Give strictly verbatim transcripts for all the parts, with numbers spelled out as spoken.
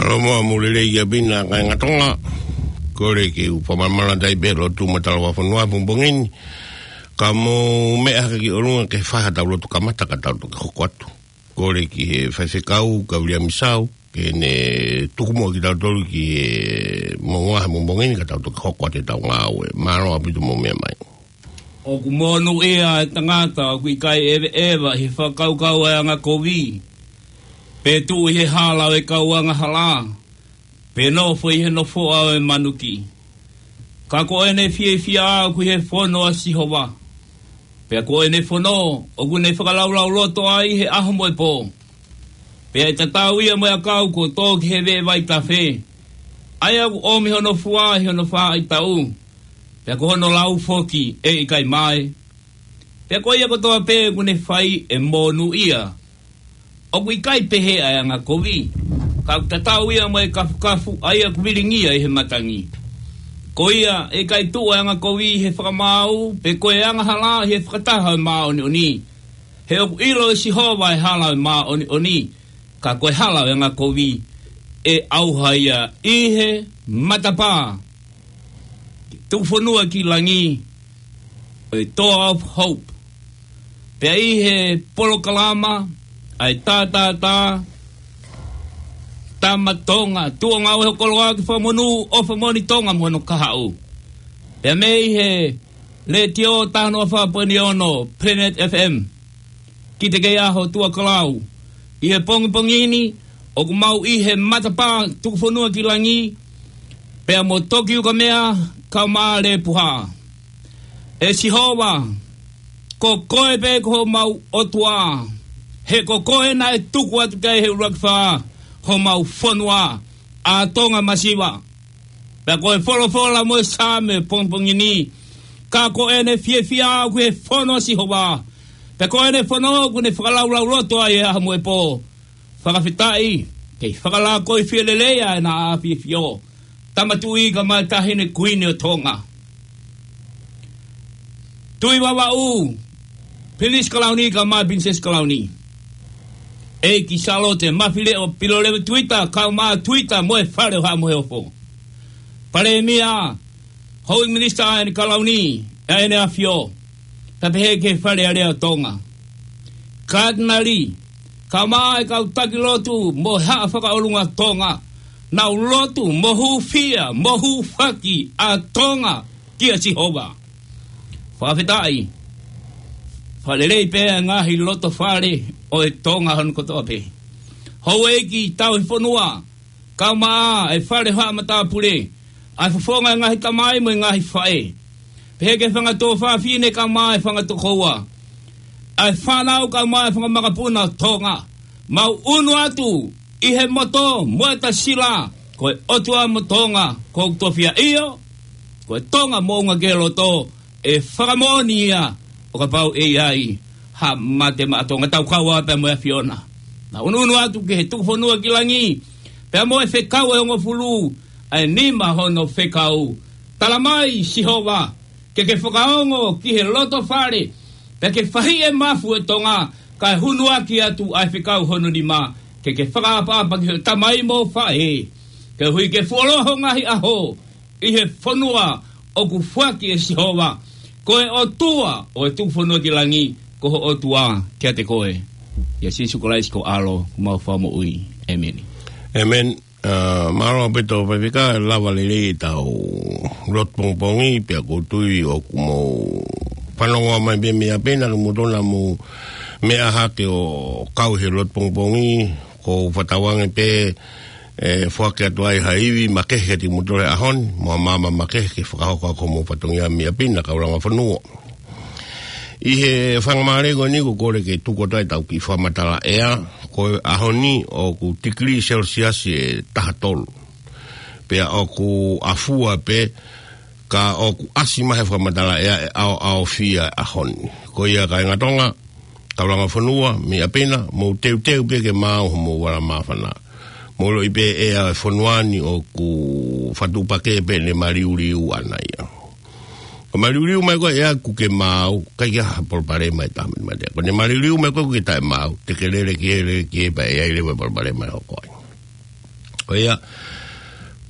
Pea mo e lelei ia pē ʻa e kāinga Tonga. Kole ke u fakamālō atu ai pē he lotu mo e tala ʻa e fonua he pongipongi ni. Ka mou meʻa hake ki ʻolunga ke fai haʻatau lotu kamata ka tau toki hoko atu. Kole ki he faifekau, Kaviliami Sau, ke ne tuku muʻa kitautolu ki he moʻunga he pongipongi ni ka tau toki hoko atu ʻetau ngāue. Mālō ʻaupito mou meʻa mai. ʻOku monūʻia e tangata ʻoku ʻikai ʻeveʻeva ʻi he fakakaukau ʻa e angakovi, pe tuʻu ʻi he hala ʻo e kau angahala, pe nofo ʻi he nofoʻa ʻo e manuki. Ka ko ʻene fiefia ʻoku ʻi he fono ʻa Sihova, pea ko ʻene fono ʻoku ne fakalaulauloto ai he ʻaho mo e pō. Pea ʻe tatau ia mo e ʻakau kuo tō ki he veʻe vaitafe, ʻa ia ʻoku ʻomi hono fua ʻi hono faʻahitaʻu, pea ko hono lau foki ʻe ʻikai mae. Pea ko ia kotoa pē ʻoku ne fai ʻe monūʻia. ʻOku ʻikai pehē ʻa e angakovi, ka ʻoku tatau ia mo e kafukafu ʻa ia ʻoku vilingia ʻi he matangi. Ko ia ʻe ʻikai tuʻu ʻa e angakovi ʻi he fakamaau, pe ko e angahala ʻi he fakataha ʻo e māʻoniʻoni. He ʻoku ʻilo ʻe Sihova ʻa e hala ʻo e māʻoniʻoni, ka ko e hala ʻo e angakovi ʻe ʻauha ia ʻi he matapā. Tukufonua ki langi, ʻo e Door of Hope. Pea ʻi he polokalama ʻa e tātātā, Tama Tonga, tuʻo ngāue ho koloa ki fakamonū ʻo fakamoʻoni Tonga mo hono kahaʻu. Pea mei he Letiō taha noa fā poini ono Planet F M. Ki te kei ʻaho Tuʻa Kalau. ʻI he pongipongi ni, ʻoku mau ʻi he matapā tukufonua ki langi, pea mo Toki Ukamea, kau mā Lepuha. ʻE Sihova, ko koe pē ko homau ʻOtua, he ko koe naʻe tuku atu ki ai he ʻuluaki fā homau fonua, ʻa Tonga masiva. Pea ko e folofola mo e Saame pongipongi ni, ka ko ʻene fiefia ʻoku ʻi he fono ʻa Sihova, pea ko ʻene fono ʻoku ne fakalaulauloto ai he ʻaho mo e pō. Fakafetaʻi, kei fakalākoi fie lelei ʻa ʻena ʻAfio, Tama Tuʻi kae ʻumaʻā e Taʻahine Kuini ʻo Tonga. Tuʻi Vavaʻu, Pilinisesi Kalauni kae ʻumaʻā e Pilinisesi Kalauni. ʻEiki Sālote Mafileʻo Pilolevu Tuita, kau mā Tuita mo e Fale ʻo Haʻa Moheofo. Palēmia, Houʻeiki Minisitā ʻa ʻene Kalauni, ʻa ʻEne ʻAfio, pea pehē ki he Fale Alea ʻo Tonga. Katinali, kau mā e kau taki lotu mo e Haʻa Fakaʻolunga Tonga, nau lotu mo hūfia, mo hūfaki ʻa Tonga kia Sihova. Fakafetaʻi, fakalelei pē ʻa e ngaahi loto fale ʻo e Tonga hono kotoa pē. Houʻeiki Tauhi Fonua, kau mā e Fale Haʻa Matāpule, ʻa e fofonga e ngaahi tamai mo e ngaahi faʻē. Pehē ki he fanga tuofāfine kau mā e fanga tokoua. ʻA e fānau kau mā e fanga makapuna ʻo Tonga. Mau ʻunu atu ʻi he moto mo e tasila, ko e ʻOtua mo Tonga, ko e tofiʻa ʻio, ko e Tonga moʻunga ki he loto, ʻe fakamoʻoni ia, ʻo kapau ʻe ʻi ai ha mate maʻa Tonga. Tau kau ā pea mo e ʻAfiona. Naʻa ʻunuʻunu atu ki he tukufonua ki langi, pea mo e fekau ʻe hongofulu, ʻa e nima hono fekau. Tala mai Sihova, ke ke fakaongo ki he loto fale, pea ke fahiʻi e mafu ʻo Tonga, kae hunuaki atu ʻa e fekau hono nima, ke ke fakaʻapaʻapa ki he tamai mo e faʻē. Koeʻuhi ke fuoloa ho ngaahi ʻaho, ʻi he fonua ʻoku foaki ʻe Sihova, ko e ʻOtua ʻo e tukufonua ki langi, ko ho ʻOtua kiate koe. ʻIa Sīsū Kalaisi ko ho ʻAlo, ko homau Fakamoʻui. ʻĒmeni. ʻĒmeni. ʻA, mālō ʻaupito Faifekau, lava lelei ʻetau lotu pongipongi, pea ʻoku ou tui ʻoku mou fanongo mai pē mei ʻapi na, ka mou tonu mou meʻa hake ʻo kau he lotu pongipongi, ʻoku ou fakatauange pē, ʻe foaki atu ai ha ivi makehe kiate kimoutolu he ʻaho ni, mo ha maama makehe ke fakahoko ʻaki hoʻomou fatongia mei ʻapi na, kau langa fonua. ʻI he faingamālie ko eni ʻoku ou kole ke tuku atu ai ʻetau kiʻi fakamatala ʻea, ko e ʻaho ni ʻoku tikilī Selesiasi ʻe taha tolu. Pea ʻoku ʻafua pē, ka ʻoku ʻasi mai he fakamatala ʻea ʻe ʻaoʻaofia e ʻaho ni. Ko ia kāinga Tonga, kau langa fonua, mei ʻapi na, mou teuteu pē ke maau homou vala māfana. Mou ʻiloʻi pē ʻea e fonua ni ʻoku fakatuʻupakē pē ʻene maliuliu ʻana ia. Ko e maliuliu mai ko ē ʻea ʻoku ke maau, ʻikai ke ʻi ai ha palopalema ʻe taha mei he mate. Ko ʻene maliuliu mai ko ē ʻoku ke taʻemaau, te ke lele ki hē, lele ki hē pea ʻe ʻi ai leva e palopalema ʻe hoko ai. Ko ia,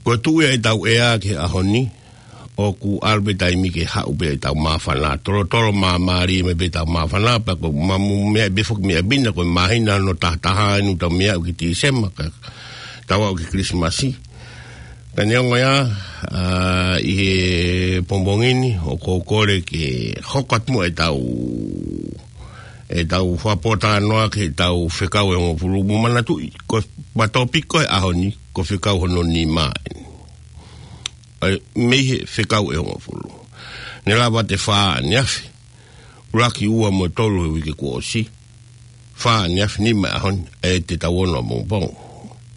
ko e tuʻu ia ʻetau ʻea ki he ʻaho ni, ʻoku ʻalu pē taimi ke haʻu pē ʻetau māfana. Tolotolo māmālie mai pē ʻetau māfana, pea ko e maʻu meʻa pē foki meʻa pina, ko e māhina hono tahataha eni ʻoku tau meʻa ki Tīsema, ka tau aʻu ki Kilisimasi. Ka neongo ia, ʻa, ʻi he pongipongi ni, ʻoku ou kole ke hoko atu muʻa ʻetau, ʻetau fakapōtalanoa ki heʻetau fekau ʻe hongofulu. Mou manatuʻi, ko e tōpiki ʻo e ʻaho ni, ko e fekau hono nima eni. ʻA ia, mei he fekau ʻe hongofulu. Ne lava ʻe fā ʻaneafi. ʻUluaki, ua mo e tolu he uike kuo ʻosi. Fā ʻaneafi, nima he ʻaho ni, ʻe te tau ono ʻapongipongi.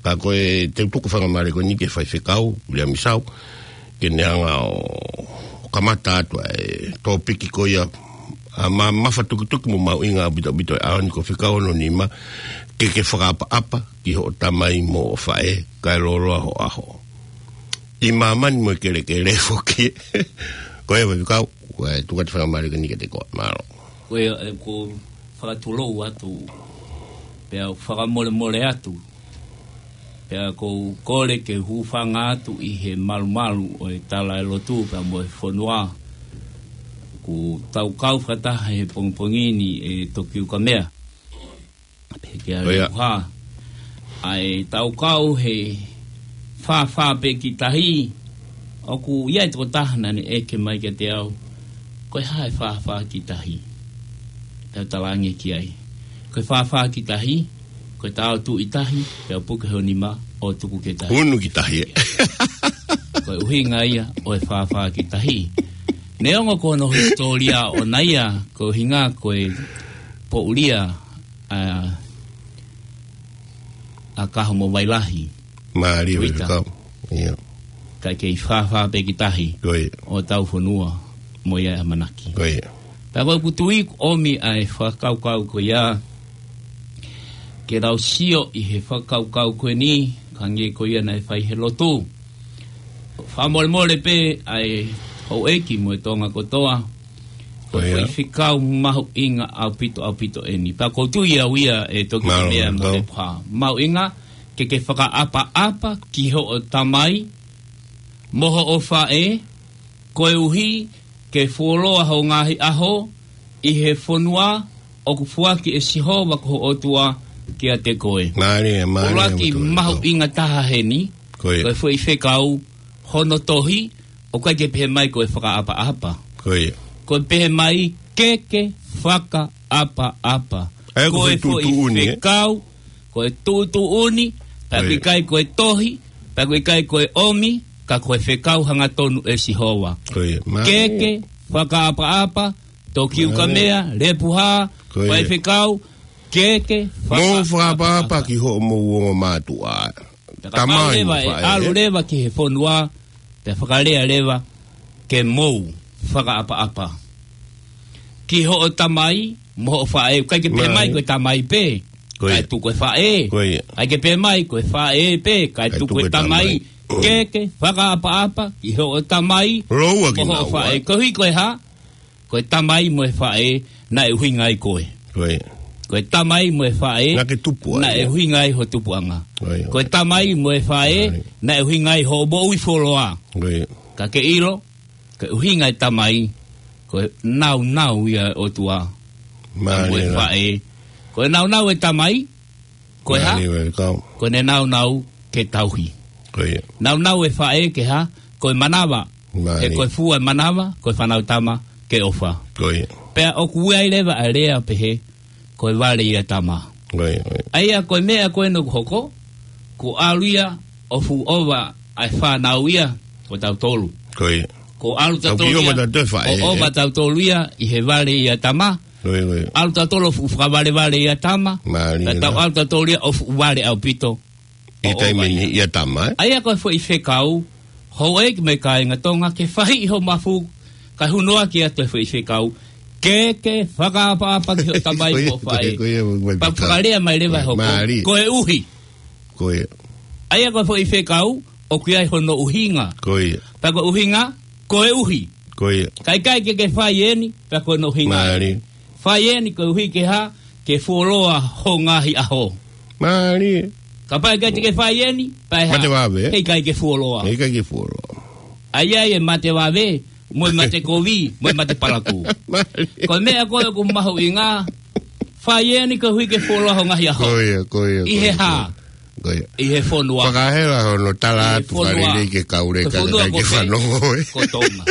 Ka ko e teu tuku faingamālie ko eni ki he faifekau, Viliami Sau, ke ne hanga ʻo, ʻo kamata atu ʻa e tōpiki ko ia, ʻa, ma-, mafatukituki mo mahuʻinga ʻaupito ʻaupito he ʻaho ni, ko e fekau hono nima, ke ke fakaʻapaʻapa ki hoʻo tamai mo hoʻo faʻē, kae lōloa ho ʻaho ʻi māmani mo e kelekele foki. Ko ia faifekau, ʻoku ou tuku atu e faingamālie ko eni kiate koe. Mālō. Ko ia, ʻe, ʻoku ou fakatulou atu, pea fakamolemole atu, pea ʻoku ou kole ke hūfanga atu ʻi he malumalu ʻo e tala ʻa e lotu pea mo e fonua. ʻOku tau kau fakataha he pongipongi ni, ʻe Tokiukamea. Pehē ki ai. Ko ia. Lepuha. ʻA ʻetau kau he fāfā pē ki tahi, ʻoku ʻi ai e tokotaha naʻa ne ʻeke mai kiate au, ko e hā e fāfā ki tahi? Pea u talaange ki ai, ko e fāfā ki tahi, ko ʻetau tuʻu ʻi tahi, pea puke ho nima ʻo tuku ki tahi. Unu ki tahi, ē? Ko e ʻuhinga ia ʻo e fāfā ki tahi. Neongo ko hono hisitōlia ʻoʻona ia, ko e ʻuhinga ko e poʻuli ia ʻa, ʻa Kaho mo Vailahi. Mālie. Tuita. Faifekau. Ia. Kae kei fāfā pē ki tahi. Ko ia. ʻO tau fonua mo ia ʻe ʻamanaki. Ko ia. Pea ko ʻeku tui ʻoku ʻomi ʻa e fakakaukau ko ia ke tau sio ʻi he fakakaukau ko eni, hangē ko ia naʻe fai he lotu. Fakamolemole pē ʻa e houʻeiki mo e Tonga kotoa. Ko e Ko ia. foʻi fekau mahuʻinga ʻaupito, ʻaupito eni. Pea ʻoku ou tui au ia ʻe Tokiukamea mo Lepuha. Mālō. Mahuʻinga ke ke fakaʻapaʻapa ki hoʻo tamai mo hoʻo faʻē, koeʻuhi ke fuoloa ho ngaahi ʻaho ʻi he fonua ʻoku foaki ʻe Sihova ko ho ʻOtua kiate koe. Mālie, mālie. ʻUluaki mahuʻinga taha heni, Ko ia. ko e foʻi fekau hono tohi, ʻoku ʻikai ke pehē mai ko e fakaʻapaʻapa. Ko ia. Ko e pehē mai ke ke fakaʻapaʻapa. ʻA ia ko e foʻi tuʻutuʻuni, ē? Ko e foʻi fekau, ko e tuʻutuʻuni, pea ʻoku ʻikai ko e tohi, pea ʻoku ʻikai ko e ʻomi, ka ko e fekau hangatonu ʻe Sihova. Ko ia. Ke ke fakaʻapaʻapa, Tokiukamea, Lepuha, faifekau, ke ke fakaʻapaʻapa ki hoʻomou ongo mātuʻa. Tamai mo e faʻē. ʻAlu leva ki he fonua, pea fakalea leva ke mou fakaʻapaʻapa ki hoʻo tamai mo hoʻo faʻē. ʻIkai ke pehē mai ko e tamai pē, kae tuku e faʻē. ʻIkai ke pehē mai ko e faʻē pē, kae tuku e tamai. Ke ke fakaʻapaʻapa ki hoʻo tamai mo hoʻo faʻē. Koeʻuhi ko e hā? Ko e tamai mo e faʻē naʻe ʻuhinga ai koe. Ko e tamai mo e faʻē naʻe ʻuhinga ai ho tupuʻanga. Ko e tamai mo e faʻē naʻe ʻuhinga ai hoʻo moʻui fuoloa. Ka ke ʻilo, ko e ʻuhinga e tamai, ko e naunau ia ʻo e ʻOtua. Mo e faʻē, ko e naunau e tamai, ko e hā? Ko ʻene naunau ke tauhi. Naunau e faʻē ke hā? Ko e manava. He ko e fua e manava, ko e fānau tama ke ʻofa. Pea ʻoku ʻi ai leva ʻa e lea pehē, ko e vale ia tama. ʻA ia ko e meʻa ko ē naʻe hoko, ko e ʻalu ia ʻo fuʻu ʻova ʻa e fānau ia, ko tautolu. Ko ʻalu tautolu ia ʻo ʻova tautolu ia ʻi he vale ia tama. ʻAlu tautolu ʻo fuʻu fakavalevale ia tama. Ka tau ʻalu tautolu ia ʻo fuʻu vale ʻaupito ʻi he taimi ni ia tama, ē? ʻA ia ko e foʻi fekau, houʻeiki mo e kāinga Tonga, ke fahiʻi ho mafu, kae hunoaki atu e foʻi fekau, ke ke fakaʻapaʻapa ki hoʻo tamai mo hoʻo faʻē. Pea fakalea mai leva e hoko, koeʻuhi. ʻA ia ko e foʻi fekau, ʻoku ʻi ai hono ʻuhinga. Pea ko e ʻuhinga, koeʻuhi. Ka ʻikai ke ke fai eni, pea ko hono ʻuhinga. Fai eni koeʻuhi ke hā? Ke fuoloa ho ngaahi ʻaho. Mālie. Kapau ʻe ʻikai te ke fai eni, pea ʻe hā? Mate vave. He ʻikai ke fuoloa. He ʻikai ke fuoloa. ʻA ia ʻe mate vave, mo e mate kovi, mo e mate palakū. Mālie. Ko e meʻa ko ē ʻoku mahuʻinga, fai eni koeʻuhi ke fuoloa ho ngaahi ʻaho. Ko ia, ko ia, ʻI ko he ia, hā? Ko ia. ʻI he fonua. Fakahela hono tala atu, ʻI he fonua. Fālele ke kaule Ko e ka fonua kai ko ke fē? Fanongo, ē. Ko Tonga.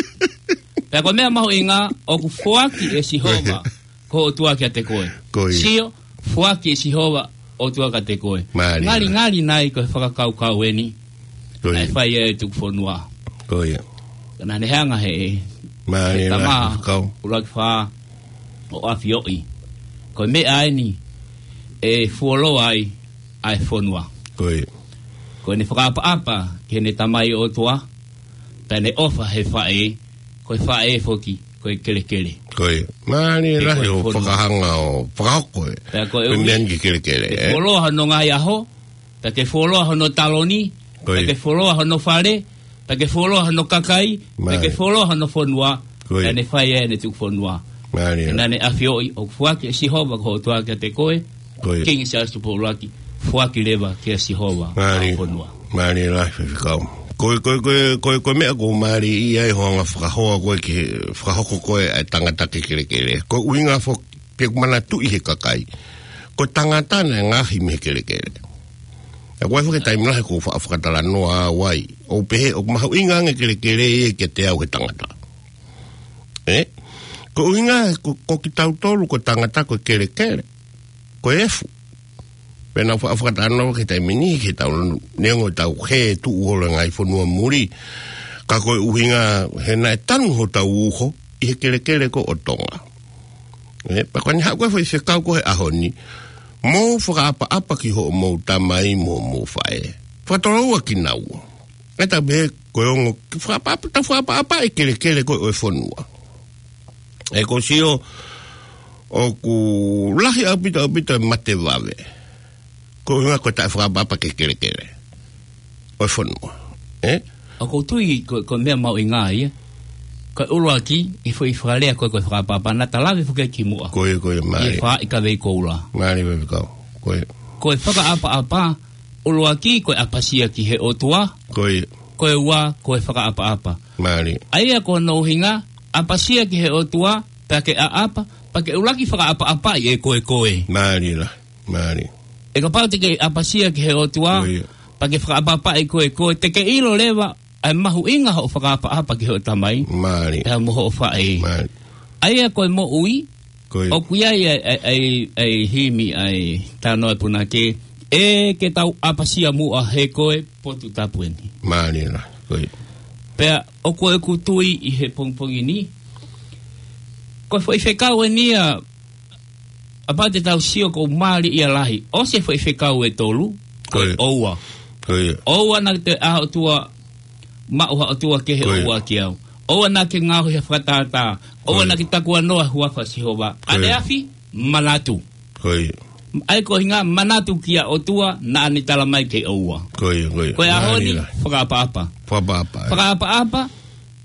Pea ko e meʻa mahuʻinga, ʻoku foaki ʻe Sihova, ko e ʻOtua kiate koe. Ko ia. Sio, foaki ʻe Sihova, ʻOtua kiate koe. Mālie. Ngalingali nai ko e fakakaukau eni. Ko ia. Naʻe fai ʻe he tuku fonua. Ko ia. Ka naʻa ne hanga he, Mālie he tama, la, kau. ʻUluaki Fā ʻo ʻAfioʻi. Ko e meʻa eni, ʻe fuoloa ai, ʻa e fonua. Ko ia. Ko ʻene fakaʻapaʻapa, ki heʻene Tamai ʻOtua, pea ne ʻofa he faʻē, ko e faʻē foki, ko e kelekele. Ko ia. Mālie He lahi ko e hoʻo fonua. Fakahanga ʻo fakahoko ē. Pea ko e Ko e ʻuhi, meʻa ni ki he kelekele, ke ē? fuoloa hono ngaahi ʻaho, pea ke fuoloa hono taloni, Ko ia. pea ke fuoloa hono fale, pea ke fuoloa hono kakai, pea Mālie. ke fuoloa hono fonua, Ko ia. pea ne fai ʻene tuku fonua. Mālie Pea la. naʻa ne ʻafioʻi, ʻoku foaki ʻe Sihova ko ho ʻOtua kiate koe, Ko ia. Kingi Siaosi Tupou ʻUluaki, foaki leva kia Sihova Mālie. ʻa e fonua. Mālie lahi Faifekau. Ko e, ko e, ko e, ko e, ko e meʻa ʻoku mālie ai hoʻo anga fakahoa ko ē ki he, fakahoko ko ē ʻa e tangata ki he kelekele. Ko e ʻuhinga foki ʻoku manatuʻi he kakai. Ko e tangata naʻe ngaohi mei he kelekele. ʻA ko e foki taimi lahi ʻoku fa-, fakatalanoa au ai. ʻO pehē, ʻoku mahuʻinga ange kelekele ia kiate au he tangata. Ē? Ko e ʻuhinga, ko, ko kitautolu, ko e tangata, ko e kelekele. Ko e efu. Pea naʻa fa-, fakatalanoa ki he taimi ni, ki he tau, neongo ʻetau hē tuʻu holo he ngaahi fonua muli. Ka ko e ʻuhinga, he naʻe tanu hotau uho, ʻi he kelekele ko ē ʻo Tonga. Ē, pea ko ʻene haʻu ko ē Faifekau ko ē he ʻaho ni, mou fakaʻapaʻapa ki hoʻomou tamai mo hoʻomou faʻē. Fakatoloua kinaua. ʻE tau pehē ko e ongo, ke fakaʻapaʻapa, tau fakaʻapaʻapa ʻi he kelekele ko ē ʻo e fonua. ʻE ko sio, ʻoku lahi ʻaupito, ʻaupito e mate vave. Ko e ʻuhinga ko e taʻefakaʻapaʻapa ki he kelekele ʻo e fonua. Ē? ʻOku ou tui ko, ko e meʻa mahuʻinga ia. Ko e ʻuluaki, ʻi he foʻi fakalea ko ē ko e fakaʻapaʻapa, naʻa ta lave foki ki muʻa. Ko ia, ko ia, ʻI he mālie. Fā ʻi Kavei Koula. Mālie Faifekau. Ko ia. Ko e fakaʻapaʻapa, ʻuluaki, ko e ʻapasia ki he ʻOtua. Ko ia. Ko e ua, ko e fakaʻapaʻapa. Mālie. ʻA ia ko hono ʻuhinga, ʻapasia ki he ʻOtua, pea ke ʻaʻapa, pea ke ʻuluaki fakaʻapaʻapaʻi ʻe koe koe. Mālie la. Mālie. ʻE kapau te ke ʻapasia ki he ʻOtua, Ko ia. pea ke fakaʻapaʻapaʻi koe koe, te ke ʻilo leva, ʻa e mahuʻinga hoʻo fakaʻapaʻapa ki hoʻo tamai. Mālie. Pea mo hoʻo faʻē. Mālie. ʻA ia ko e moʻui, Ko ia. ʻoku ʻi ai ʻa e, ʻa e, ʻa e, ʻa e himi, ʻa e talanoa ʻa e punake, ʻe ke tau ʻapasia muʻa he ko e potu tapu eni. Mālie la, ko ia. Pea ʻoku ou tui ʻi he pongipongi ni, ko e foʻi fekau eni ia, ʻa pau te tau sio ʻoku mālie ia lahi. ʻOsi e foʻi fekau ʻe tolu, Ko ia. ʻoua. Ko ia. ʻOua naʻa ke toe ʻā ʻOtua, maʻu ha ʻotua kehe Ko ia. ʻoua kiate au. ʻOua naʻa ke ngaohi ha fakatātā. ʻOua Ko ia. naʻa ke takuanoa huafa Sihova. Ko ia. ʻAneafi, manatu. Ko ia. ʻA ia ko e ʻuhinga manatu kia ʻOtua naʻa ne tala mai ke ʻoua. Ko ia, ko ia. Ko e ʻaho ni, Mālie la. fakaʻapaʻapa. Fakaʻapaʻapa, ē. Fakaʻapaʻapa,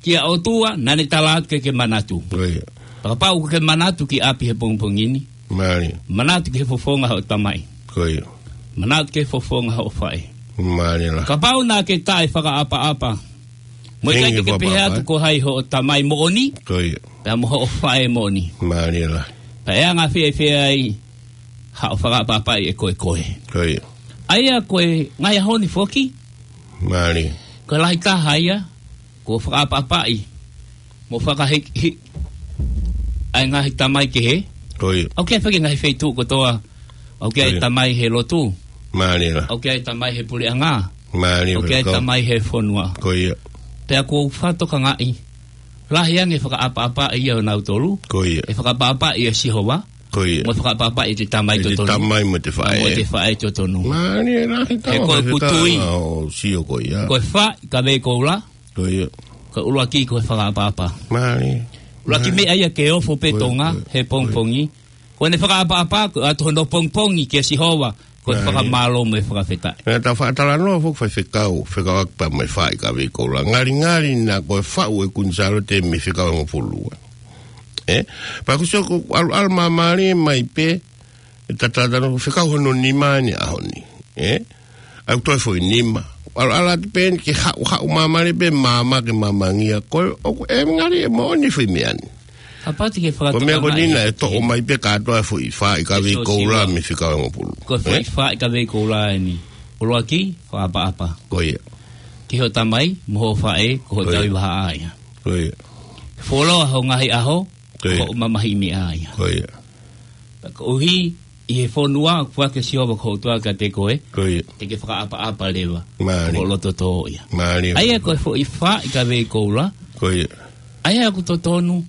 kia ʻOtua, naʻa ne tala atu ke ke manatu. Ko ia. Pea kapau ʻoku ke manatu ki ʻapi he pongipongi ni. Mālie. Manatu ki he fofonga hoʻo tamai. Ko ia. Manatu ki he fofonga hoʻo faʻē. Mālie la. Kapau naʻa ke taʻefakaʻapaʻapa. Mo e Henge ʻikai te ke pehē fakaʻapaʻapa, atu ē. ko hai hoʻo tamai moʻoni. Ko ia. Pea mo hoʻo faʻē moʻoni. Mālie la. Pea ʻe anga fēfē ai haʻo fakaʻapaʻapaʻi ʻe koe koe. Ko ia. ʻA ia ko e ngaahi ʻaho ni foki. Mālie. Ko e lahi taha ia, ko e fakaʻapaʻapaʻi. Mo fakahiki, ʻa e ngaahi tamai kehe. Ko ia. ʻOku ʻi ai foki ngaahi feituʻu kotoa. ʻOku ʻi ai Ko ia. tamai he lotu. Mālie la. ʻOku ʻi ai tamai he puleʻanga. Mālie ʻOku ʻi ai Faifekau. tamai he fonua. Ko ia. Pea ʻoku ou fakatokangaʻi. Lahi ange fakaʻapaʻapaʻi ia ʻo nautolu. Ko ia. ʻE fakaʻapaʻapaʻi ʻe Sihova. Ko ia. Mo e fakaʻapaʻapaʻi ʻe te tamai ʻE te totonu. tamai mo te faʻē. Mo te faʻē totonu. Mālie lahi He tau ko e Faifekau kutui. ʻo sio ko ia. Ko e fā ʻi Kavei Koula. Ko ia. Ko e ʻuluaki ko e fakaʻapaʻapa. Mālie. ʻUluaki Mālie. meʻa ia ke ofo pē Ko ia, Tonga, ko ia, he ko ia. pongipongi. Ko ʻene fakaʻapaʻapa, ko e ʻoatu hono pongipongi kia Sihova, ko e Mālie. fakamālō mo e fakafetaʻi. Naʻa tau faʻa talanoa foki Faifekau, fekauʻaki pea mo e fā ʻi Kavei Koula. Ngalingali naʻa ko e faʻu ʻe Kuini Sālote mei he fekau hongofulu. Ē? Pea ʻoku ou sio ʻoku ʻalu, ʻalu māmālie mai pē, ʻe tatalata no fekau hono nima ʻi he ʻaho ni. Ē? ʻAi toe foʻi nima. ʻAlu ʻalu atu pē eni ke haʻu, haʻu māmani pē māmā ke māmangia. Ko e, ʻoku ʻe ngali ʻe moʻoni foʻi meʻa ni. Kapau te ke fakatokangaʻi. Ko e meʻa ko eni naʻe toʻo mai pē kātoa foʻi fā ʻi ka vei koula mei fika ongo pulu. Ko e foʻi fā ʻi ka vei koula eni. ʻUluaki, fakaʻapaʻapa. Ko ia. Ki hoʻo tamai, mo hoʻo faʻē, ko hoʻo tauhi vahaʻa ia. Ko ia. Fuoloa hoʻo ngaahi ʻaho, ko ia. Ko hoʻo mamahiʻi meʻa ia. Ko ia. Pea koeʻuhi ʻi he fonua, ʻoku ʻoatu ʻe Sihova ko ho ʻOtua kiate koe, ko ia. Te ke fakaʻapaʻapa leva. Mālie. Ko hoʻo loto tō ia. Mālie. ʻA ia ko e foʻi fā ʻi ka vei koula. Ko ia. ʻA ia ʻoku totonu,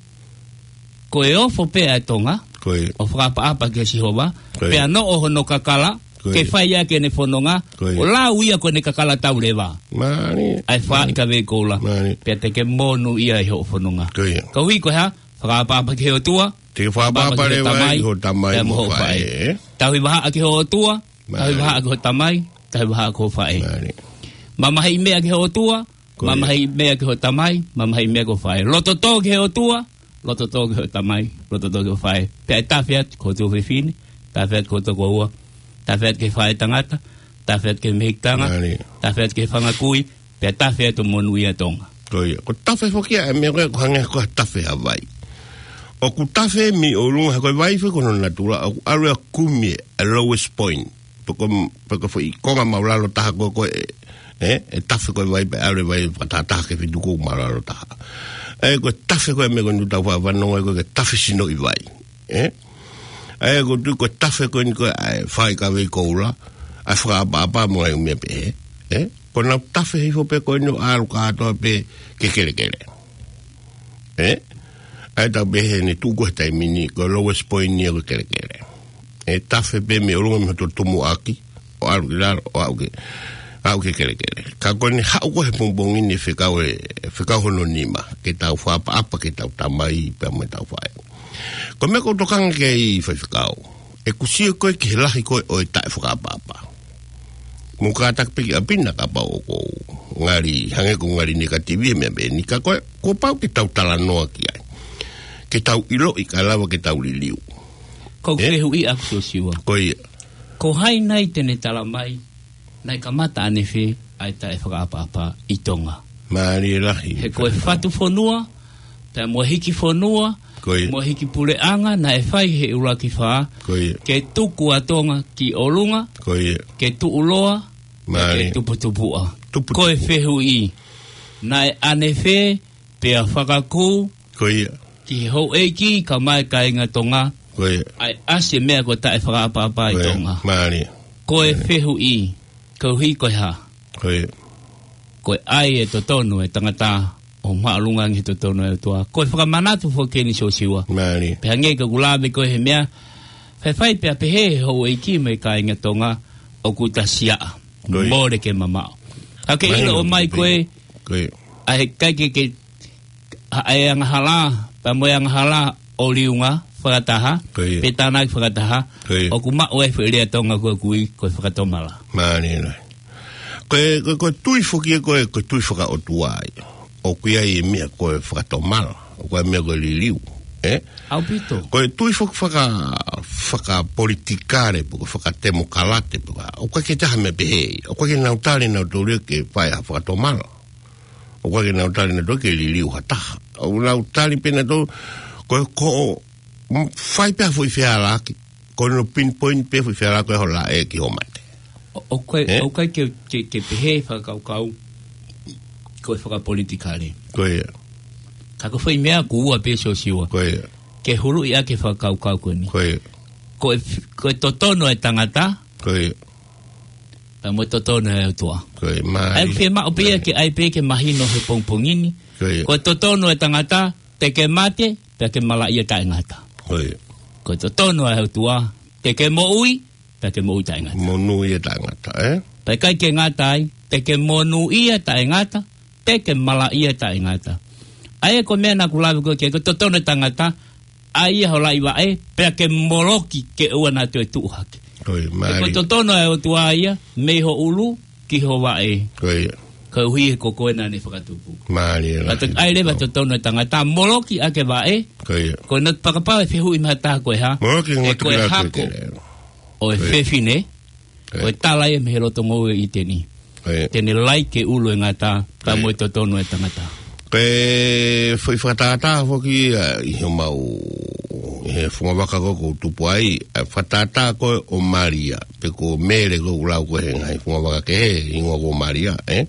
ko e ofo pē ʻa e Tonga, ko ia. ʻO fakaʻapaʻapa kia Sihova, ko ia. Pea noʻo hono kakala, ko ia. Ke fai ʻaki ʻene fononga, ko ia. ʻO lau ia ko ʻene kakala tau leva. Mālie. ʻA e fā ʻi ka vei koula. Mālie. Pea te ke monūʻia ʻi hoʻo fononga. Ko ia. Koeʻuhi ko e hā, fakaʻapaʻapa ki he ʻOtua, te ke fakaʻapaʻapa leva ki ho tamai mo ho faʻē. Tauhi vahaʻa ki ho ʻOtua, tauhi vahaʻa ki ho tamai, tauhi vahaʻa ki ho faʻē. Mālie. Mamahiʻi meʻa ki ho ʻOtua, ko ia. Mamahiʻi meʻa ki ho tamai, mamahiʻi meʻa ki ho faʻē. Loto tō ki he ʻOtua, loto tō ki ho tamai, loto tō ki ho faʻē. Pea ʻe tafe atu ki ho tuofefine, tafe atu ki ho tokoua, tafe atu ki he faʻētangata, tafe atu ki he mehikitanga, mālie. Tafe atu ki he fanga kui, pea tafe atu monūʻia Tonga. Ko ia. Ko e tafe foki ia, ʻa e meʻa ko ē, ʻoku hangē ko e tafe ʻa e vai. ʻOku tafe mei ʻolunga, ko e vai foki ko hono natula, ʻoku ʻalu ʻo kumi ʻa e lowest point. Pe ko, pe ko e foʻi konga māʻulalo taha ko ē, ko ē, ē, ʻe tafe ko ē vai pea ʻalu e vai fakatahataha ki he feituʻu ko ē māʻulalo taha. Ē, ko e tafe ko ē meʻa ko eni ʻoku tau faʻa fanongo ai ko e tafe sinoʻi vai. Ē? Ē, ʻoku ou tui ko e tafe ko eni ko ē ʻa e fā ʻi ka vei koula, ʻa e fakaʻapaʻapa mo e ngaahi meʻa pehē. Ē? Ko ʻenau tafe hifo pē ko eni ʻo ʻalu kātoa pē ki he kelekele. Ē? ʻA ia tau pehē ʻene tuʻu ko ē he taimi ni, ko e lowest point ia ko e kelekele. ʻE tafe pē mei ʻolunga mei hoto tumuʻaki, ʻo ʻalu ki lalo, ʻo aʻu ki, aʻu ki he kelekele. Ka ko ʻene haʻu ko ē he pongipongi ni ʻe fekau e, fekau hono nima, ke tau fakaʻapaʻapa ki heʻetau tamai, pea mo ʻetau faʻē. Ko e meʻa ʻoku ou tokanga ki ai Faifekau. ʻOku ou sio ko ē ki he lahi ko ē ʻo e taʻefakaʻapaʻapa. Mou kātaki pē ki ʻapi na kapau ʻoku ou ngali, hangē ʻoku ou ngali negative he meʻa pehē ni ka ko ē, kuo pau ke tau talanoa ki ai. Ke tau ʻiloʻi kae lava ke tau liliu. Ko e fehuʻi ʻaku Siosiua. Ko ia. Ko hai nai te ne tala mai, naʻe kamata ʻanefē ʻa e taʻefakaʻapaʻapa ʻi Tonga. Mālie lahi. He ko e fatu fonua, pea mo e hiki fonua, ko ia. Mo e hiki puleʻanga, naʻe fai he ʻuluaki fā, ko ia. Ke tuku ʻa Tonga ki ʻolunga, ko ia. Ke tuʻuloa, mālie. Ke tuputupuʻa. Tuputupuʻa. Ko e fehuʻi, naʻe ʻanefē, pea fakakū, ko ia. Ki he houʻeiki, kae ʻumaʻā e kāinga Tonga, ko ia. ʻA e ʻasi e meʻa ko e taʻefakaʻapaʻapa ʻi Tonga. Mālie. Ko e fehuʻi, koeʻuhi ko e hā. Ko ia. Ko e ʻai e totonu e tangata ʻo māʻolunga ange he totonu e ʻOtua. Ko e fakamanatu foki eni Siosiua. Mālie. Pea hangē ko ʻeku lave ko ē he meʻa, faifai pea pehē he houʻeiki mo e kāinga Tonga ʻoku ta siaʻa. Ko ia. Mole ke mamaʻo. Ka ke ʻilo ʻo mai ko ē, ko ia. ʻA e kai ke, ke ʻa e angahala, pea mo e angahala ʻo liunga fakataha, ko ia. Pe tānaki fakataha, ko ia. ʻOku maʻu ai foʻi lea Tonga ko ē ʻoku ui ko e fakatomala. Mālie lahi. Ko e, ko e, ko e tui foki ia ko e, ko e tui fakaʻotua ia. ʻOku ʻi ai e meʻa ko e fakatomala, ʻoku ʻi ai e meʻa ko e liliu, ē? ʻAupito. Ko e tui faka-, faka-, fakapolitikale, pe ko e fakatemokalate, pe ko e, ʻoku ʻikai ke ʻi ai ha meʻa pehē ia. ʻOku ʻikai ke nau tali nautolu ia ke fai ha fakatomala. ʻOku ʻikai ke nau tali nautolu ke liliu ha taha. ʻOku nau tali pē nautolu, ko e ko, mm, fai pē ha foʻi fehālaaki. Ko hono pinpoint pē foʻi fehālaaki ko e hola e ki hoʻo mate. ʻO, ʻoku ʻikai, ē? ʻOku ʻikai ke, ke, ke pehē fakakaukau ko e fakapolitikale. Ko ia. Ka ko e foʻi meʻa ʻoku ua pē Siosiua. Ko ia. Ke huluʻi ʻaki e fakakaukau ko eni. Ko ia. Ko e f-, ko e totonu e tangata. Ko ia. Pea mo e totonu e ʻOtua. Ko ia, mālie. ʻA ia ʻoku fiemaʻu pē ia ke ʻai pē ke mahino he pongipongi ni. Ko ia. Ko e totonu e tangata, te ke mate, pea ke malaʻia taʻengata. Ko ia. Ko e totonu e ʻOtua, te ke moʻui, pea ke moʻui taʻengata. Monūʻia taʻengata, ē? Pea ʻikai ke ngata ai, te ke monūʻia taʻengata, te ke malaʻia taʻengata. ʻA ia ko e meʻa naʻá ku lave ko ē ki ai, ko e totonu e tangata, ʻai ia ho laʻi vaʻe, pea ke moloki ke ʻoua naʻa toe tuʻu hake. Ko ia, mālie. He ko e totonu e ʻOtua ia, mei ho ʻulu ki ho vaʻe. Ko ia. Koeʻuhi he ko koe naʻá ne fakatupu. Mālie lahi. Ka toki ʻai leva totonu e tangata, moloki ʻaki e vaʻe. Ko ia. Ko e nau fakapapau e fehuʻi mei ha taha ko e hā. Moloki e ngaahi ko e tukila hako. Ko e fefine. Ko e tala ia mei he loto ngoue ʻo ʻĪteni. Te ne laiki e ʻulu ʻo e ngata, pea mo e totonu ʻo e tangata. Ko e foʻi fakatātā foki ia ʻi homau, ʻi he fungavaka ko ē ʻoku ou tupu ai, ʻa e fakatātā ko ē ʻo Malia, pe ko Mele ko ē ʻoku lau ko ē he ngaahi fungavaka kehe, hingoa ko Malia, ē?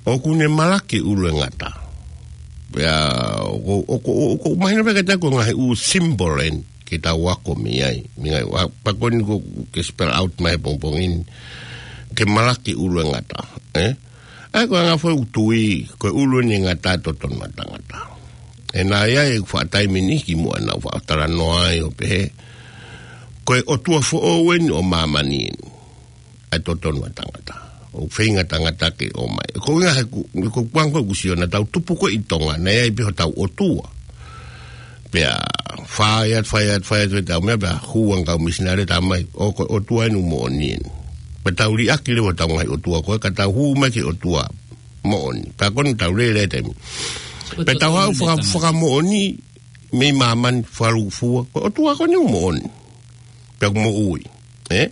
ʻOku ne malaki e ʻulu ʻo e ngata. Pea, ʻoku, ʻoku, ʻoku, ʻoku mahino pē kiate au ko e ngaahi ʻū symbol eni ke tau ako mei ai. Mei ngaahi, ua, pea ko eni ʻoku ke spell out mai he pongipongi ni. Ke malaki e ʻulu ʻo e ngata, ē? ʻA ia ko e anga foʻi ʻū tui, ko e ʻulu eni ʻo e ngata ʻa e totonu ʻo e tangata. ʻE naʻe ʻi ai e faʻa taimi ni kimuʻa naʻa ku faʻa talanoa ai ʻo pehē, ko e ʻotua foʻou eni ʻo māmani eni ʻa e totonu ʻo e tangata. ʻOku feinga e tangata ke ʻomai. Ko e ʻuhinga he ʻoku, ko e ʻuhinga ʻoku ou sio naʻa tau tupu ko ē ʻi Tonga, naʻe ʻi ai pē hotau ʻotua. Pea fai atu, fai atu, fai atu ʻetau meʻa, pea hū ange e kau misinale, talamai, ʻo, ko e ʻotua eni ʻoku moʻoni eni. Pea tau liʻaki leva hotau ngaahi ʻotua ko ē, ka tau hū mai ki he ʻotua moʻoni. Pea ko eni ʻoku tau lele he taimi ni. Pea tau haʻu faka-, fakamoʻoni mei māmani, fakalūkufua, ko e ʻotua ko eni ʻoku moʻoni. Pea ʻoku moʻui, ē?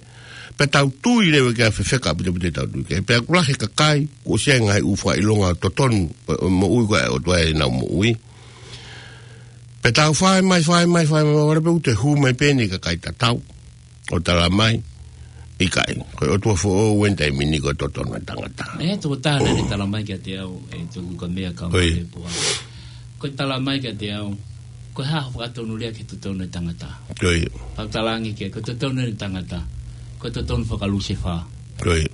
Pea tau tui leva ki ai, fefeka ʻaupito ʻaupito ʻetau tui ki ai. Pea ʻoku lahi e kakai kuo ʻosi ʻi ai e ngaahi ʻū fakaʻilonga totonu ʻo, ʻo e moʻui ko ē ʻa e ʻOtua ʻenau moʻui. Pea tau fai mai, fai mai, fai mai, ʻalu pē ʻo toe hū mai pē eni e kakai tatau ʻo talamai, ʻikai, ko e ʻotua foʻou eni he taimi ni ko e totonu ʻo e tangata. ʻE, tokotaha naʻa ne talamai kiate au, ʻe tuku ka meʻa ka Ko ia. Ko e talamai kiate au, ko e hā hoʻo fakatonulea ki he totonu ʻo e tangata? Ko ia. Pea u talaange ki ai, ko e totonu ʻo e tangata, ko e totonu fakalusefā. Ko ia.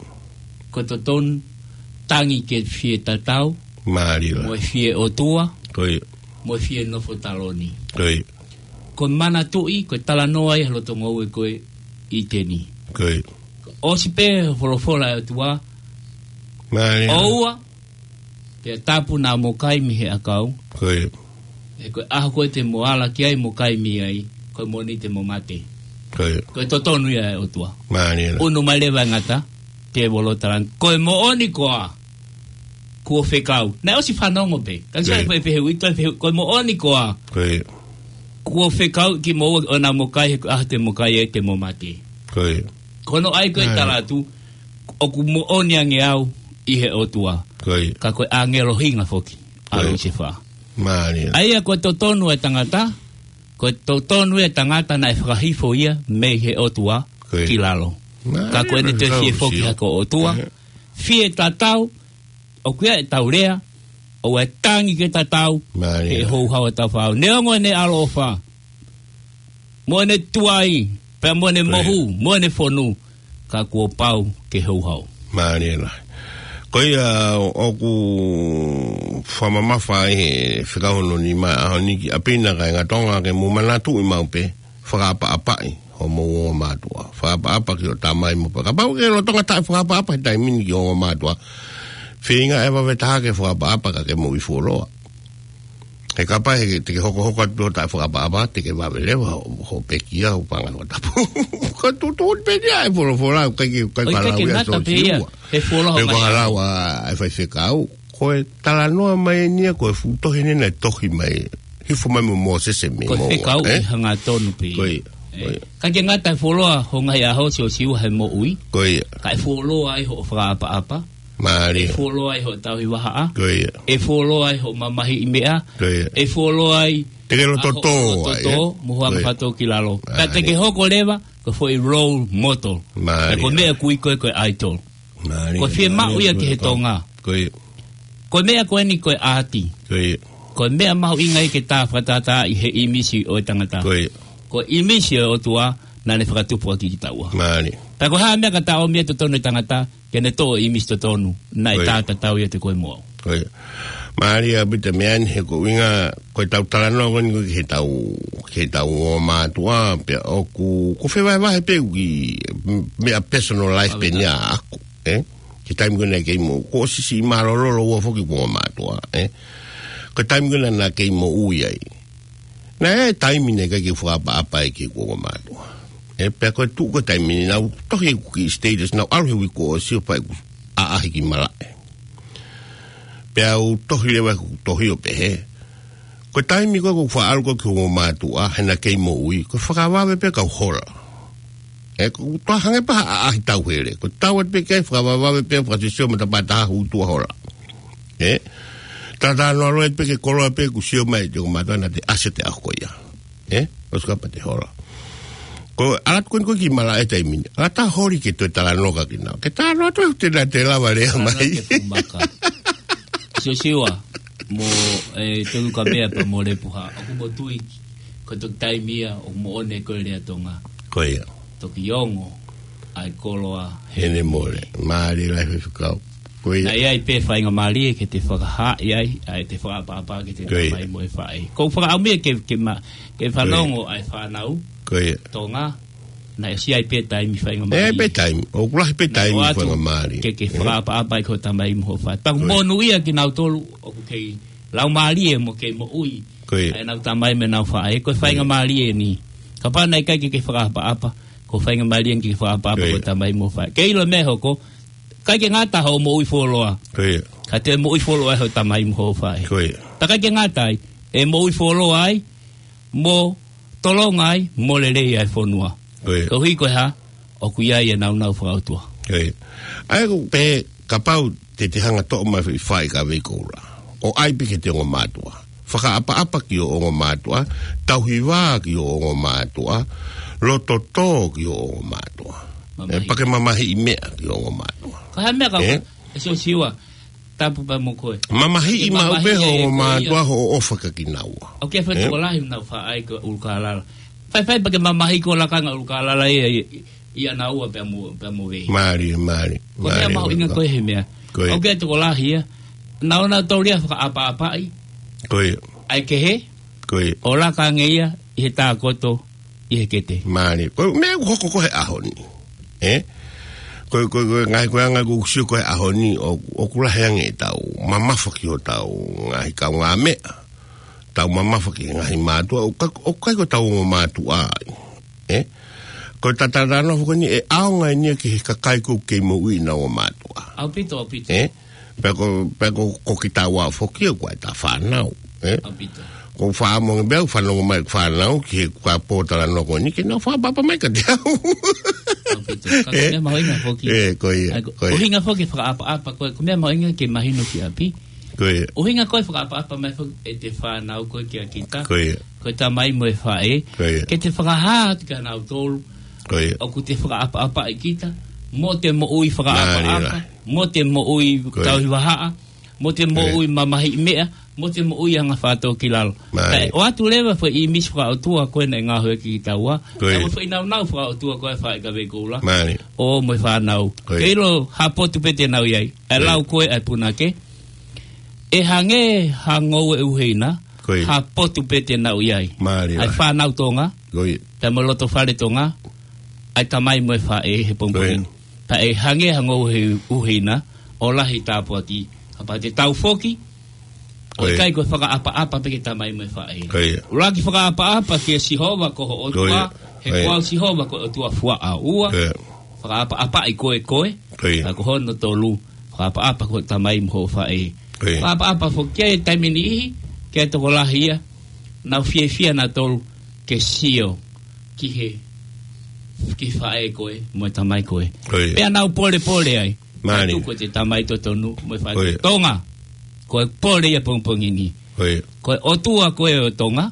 Ko e totonu tangi ke fie tatau, Mālie. Mo e fie ʻotua, Ko ia. Mo e fie nofo taloni. Ko ia. Ko e manatuʻi, ko e talanoa ia he loto ngoue ko ē ʻi ʻĪteni. Ko ia. ʻOsi pē folofola ʻa e ʻOtua, Mālie. ʻOua, pea tapu naʻa mo kai mei he ʻakau. Ko ia. He ko e ʻaho ko ē te mo ala ki ai mo kai mei ai, ko e moʻoni te mo mate. Ko ia. Ko e totonu ia ʻa e ʻOtua. Mālie. ʻUnu mai leva e ngata, tēvolo talange, ko e moʻoni koā kuo fekau. Naʻe ʻosi fanongo pē. Ka sai Ko ia. Pē fehuʻi, toe fehuʻi, ko e moʻoni koā Ko ia. kuo fekau kimoua ʻo naʻa mo kai, he ko e ʻaho te mo kai ai te mo mate. Ko ia. Ko hono ʻai ko ē Mālie. Tala atu, ʻoku moʻoni ange au ʻi he ʻOtua. Ko ia. Ka ko e ʻāngelo hinga foki ʻa Ko ia. Lusefā. Mālie. ʻA ia ko e totonu ʻo e tangata, ko e totonu ʻo e tangata naʻe fakahifo ia mei he ʻOtua Ko ia. Ki lalo. Mālie, Ka ko ʻene toe fie foki hake ʻo ʻOtua. Ko ia. Fie tatau, ʻoku ʻi ai ʻetau lea, ʻoua ʻe tangi ke tatau, Mālie. He houhau ʻa hotau Fakaʻau. Neongo ʻene ʻaloʻofa, mo ʻene tuai, pea mo ʻene Ko ia. Mohu, mo ʻene fonu, ka kuo pau ke houhau. Mālie lahi. Ko ia ʻoku fakamamafa ai he fekau hono nima ʻaho ni ki ʻapi na, kāinga Tonga, ke mou manatuʻi maʻu pē, fakaʻapaʻapaʻi hoʻomou ongo mātuʻa. Fakaʻapaʻapa ki hoʻo tamai mo pa-, kapau ʻoku ke lolotonga taʻefakaʻapaʻapa he taimi ni ki hoʻo ongo mātuʻa, feinga ʻe vave taha ke fakaʻapaʻapa ka ke moʻui fuoloa. He kapau he te ke hokohoko atu pē hoʻo taʻefakaʻapaʻapa, te ke vave leva hoʻo, hoʻo pekia, hoʻo paʻanga fakatapu. Ko e tuʻutuʻuni pē ia ʻa e folofola, ʻikai ke, ʻikai ʻIkai ke falau ia ngata pē ia, Siosiua. He fuoloa Pe mai. Falau ʻa e faifekau. Ko e talanoa mai eni ia, ko e fuʻu tohi eni naʻe tohi mai, hifo mai mo Mōsese mei Ko e Moʻunga, fekau ē? ʻE hangatonu pē. Ko ia, ʻE. ko ia. ʻIkai ke ngata e fuoloa hoʻo ngaahi ʻaho Siosiua he moʻui. Ko ia. Ka ʻe fuoloa ai hoʻo fakaʻapaʻapa. Mālie. ʻE fuoloa ai hoʻo tauhi vahaʻa. Ko ia. ʻE fuoloa ai hoʻo mamahiʻi meʻa. Ko ia. ʻE fuoloa ai Te ke loto ʻa hoʻo tō loto ai, tō, ē? mo hoʻo Ko ia. anga fato ki lalo. Ka te Mālie. ke hoko leva, ko e foʻi role model. Mālie. Ka ko e meʻa ʻoku ui ko ē ko e idol. Mālie, Ko e fiemaʻu mālie, ia ki he mālie. Tonga. Ko ia. Ko e meʻa ko eni ko e ʻaati. Ko ia. Ko e meʻa mahuʻinga ia ke tā fakatātā ʻi he ʻīmisi ʻo e tangata. Ko ia. Ko e ʻīmisi ʻo e ʻOtua, naʻa ne fakatupu ʻaki kitaua. Mālie. Pea ko e hā e meʻa ka tā ʻomi ai e totonu ʻo e tangata, ke ne toʻo e ʻīmisi totonu, naʻe Ko ia. tā tatau ia ʻiate koe mo au. Ko ia. Mālie ʻaupito e meʻa ni he ko e ʻuhinga, ko ʻetau talanoa ko eni ko ē ki heʻetau, ki heʻetau ongo mātuʻa, pea ʻoku, ʻoku fevahevahe pē ʻoku ʻi, m-, meʻa personal life pē Ava eni ʻaʻaku, ē? Ki he taimi ko ē naʻe kei moʻu, kuo ʻosi siʻi mālōlō ua foki ʻeku ongo mātuʻa, ē? Ko e taimi ko ē naʻa, naʻa kei moʻui ai. Naʻe ʻi ai e taimi naʻe ʻikai ke u fakaʻapaʻapa ai ki heʻeku ongo mātuʻa. Ē, pea ko e tuʻu ko ē taimi ni naʻa ku tohi ʻeku kiʻi status, naʻa ku ʻalu he uike kuo ʻosi ʻo fai ʻeku ʻaʻahi ki malaʻe. Pea u tohi leva ʻeku tohi ʻo pehē, ko e taimi ko ē ʻoku ou faʻa ʻalu ko ē ki heʻeku ongo mātuʻa, he naʻa kei moʻui, ko e fakavave pē kau hola. ʻE, ko e toa hangē pē ha ʻaʻahi tauhele. Ko e tau atu pē ki ai, fakavavevave pē, fakasio matapā taha, hū tuʻa hola. ʻE, talanoa loi pē ki he koloa pē kuo sio mai ʻe he ongo mātuʻa naʻa te ʻasi ʻo te ʻaho ko ia. ʻE, ʻosi kapau te hola. Ko e ʻalu atu ko eni ko e kiʻi malaʻe taimi ni. ʻAlu atu ʻo holi ke toe talanoa kia kinaua. Ke talanoa atu ʻe te na te lava lea mai. Talanoa ke fumaka. Siosiua, mo, ʻe, Tolu Kamea pea mo Lepuha. ʻOku mo tui, ko e toki taimi ia, ʻoku mo ʻone ko e lea Tonga. Ko ia. Toki ongo, ʻa e koloa. Hene mole. Mālie lahi Faifekau. Ko ia. Naʻe ʻi ai pē faingamālie ke te fakahā ʻi ai, ʻa e te fakaʻapaʻapa ke te Ko ia. tamai mo e faʻē. Ko e fakaʻamu ia ke, ke ma, ke Ko ia. fanongo ʻa e fānau. Ko ia. Tonga, naʻe ʻosi ʻi ai pē taimi faingamālie. ʻE, pē taimi. ʻOku lahi pē Naʻe taimi ʻoatu faingamālie. ke, ke ʻE. fakaʻapaʻapa ʻi ko e tamai mo ho faʻē. Pea Ko ia. monūʻia kinautolu, ʻoku kei laumālie mo kei moʻui. Ko ia. ʻA ʻenau tamai mo ʻenau faʻē. Ko e Ko ia. faingamālie eni. Kapau naʻe ʻikai ke, ke fakaʻapaʻapa, ko e faingamālie eni ke fakaʻapaʻapa Ko ia. ko e tamai mo e faʻē. Ke ʻilo e meʻa ʻe hoko, ʻikai ke ngata hoʻo moʻui fuoloa. Ko ia. Ka te moʻui fuoloa ho tamai mo ho faʻē. Ko ia. Pea ʻikai ke ngata ai, ʻe moʻui fuoloa ai, mo tolonga ai, mo lelei ai e fonua. Ko ia. Koeʻuhi ko e hā, ʻoku ʻi ai e nāunau fakaʻotua. Ko ia. ʻA ia ko e kapau te te hanga ʻo toʻo mai e faʻē kia Veikoula. ʻO ʻai pē ki he ongo mātuʻa. Fakaʻapaʻapa ki hoʻo ongo mātuʻa, tauhi vā ki hoʻo ongo mātuʻa, loto tō ki hoʻo ongo mātuʻa. Mamahi. ʻE, pea ke mamahiʻi meʻa ki hoʻo ongo mātuʻa. Ko e hā e meʻa ka ʻE? ʻe Siosiua, tapu pē mo koe. Mamahiʻi Ke maʻu pē mamahiʻi hoʻo e ongo ko ia. mātuʻa hoʻo ʻofa kia kinaua. ʻOku ʻi ai e faʻē ʻE? tokolahi ʻoku nau faʻa ʻai ko e ʻUlukālala. Faifai pea ke mamahiʻi ko e lakanga ʻUlukālala ia, ia, ia naua pea mo, pea mo vei. Mālie, mālie. Ko e meʻa Mālie, mahuʻinga mālie. ko e he meʻa. Ko ia. ʻOku ʻi ai e tokolahi ia. Naʻa nau taulia fakaʻapaʻapaʻi. Ko ia. ʻA e kehe. Ko ia. ʻO laka ange ia ʻi he tākoto ʻi he kete. Mālie. Ko e meʻa ʻoku hoko ko e he ʻaho ni. ʻE? Ko e, ko e, ko e ngaahi ko e anga ʻoku sio ko e he ʻaho ni, ʻo, ʻoku lahi ange ʻetau mamafa ki hotau ngaahi kaungāmeʻa. Tau mamafa ki he ngaahi mātuʻa, ʻoku ʻikai, ʻoku ʻikai ko ʻetau ongo mātuʻa ai. ʻE? Ko e talanoa foki eni ʻe ʻaonga eni ia ki he kakai ʻoku kei moʻui ʻenau ongo mātuʻa. ʻAupito, ʻaupito. ʻE? Pea ko, pea ko, ko kitaua foki ʻoku ʻi ai ʻeta fānau. ʻE? ʻAupito. ʻOku ou fakaʻamu ange pē au ʻoku fanongo mai ʻeku fānau ki he kuo pōtalanoa ko eni ke nau fakaʻapaʻapa mai kiate au. ʻAupito. Ka ko e ʻE? meʻa mahuʻinga foki. ʻE, ko ia, ʻA ia ko, ko ia. ʻuhinga foki fakaʻapaʻapa ko e, ko e meʻa mahuʻinga ke mahino ki ʻapi. Ko ia. ʻUhinga ko e fakaʻapaʻapa mai foki ʻete fānau ko e kia kita. Ko ia. Ko e tamai mo e faʻē. Ko ia. Ke te fakahā atu kia nautolu. Ko ia. ʻOku te fakaʻapaʻapaʻi kita. Mo te moʻui Mālie fakaʻapaʻapa. lahi. Mo te moʻui Ko ia. tauhi vahaʻa. Mo te Ko ia. moʻui mamahiʻi meʻa. Mo te moʻui anga fātōkilalo. Mālie. Kae ʻoatu leva foʻi ʻīmisi fakaʻotua ko ē naʻe ngaohi ʻaki kitaua. Ko ia. Kae mo e foʻi nāunau fakaʻotua ko ē faʻē kia Veikoula. Mālie. ʻO mo e fānau. Ko ia. Ke ʻilo ha potu pē te nau ʻi ai. ʻE Ko ia. lau ko ē ʻa e punake. ʻE hangē ha ngoue ʻuheina, Ko ia. ha potu pē te nau ʻi ai. Mālie ʻA e lahi. fānau Tonga, Ko ia. pea mo e loto fale Tonga, ʻa e tamai mo e faʻē he pongipongi Ko ia. ni. Pea ʻe hangē ha ngoue ʻuheina, ʻo lahi tāpuaki, kapau te tau foki, ʻo Ko ia. ʻikai ko e fakaʻapaʻapa pē ki he tamai mo e faʻē. Ko ia. ʻUluaki fakaʻapaʻapa kia Sihova ko ho Ko ʻOtua, ia. he Ko ia. ko au Sihova ko e ʻOtua fuaʻa ua. Ko ia. Fakaʻapaʻapaʻi koe koe, Ko ia. ka ko hono tolu, fakaʻapaʻapa ki ho tamai mo ho faʻē. Ko ia. Fakaʻapaʻapa foki ki he taimi niʻihi, ki he tokolahi ia, nau fiefia nautolu ke sio ki he, ki he faʻē ko ē, mo e tamai ko ē. Ko ia. Pea nau polepole ai. Mālie. Tuku ʻete tamai totonu, mo e faʻē Ko ia. Tonga. Ko e pole ia pongipongi ni. Ko ia. Ko e ʻOtua ko ē ʻo Tonga.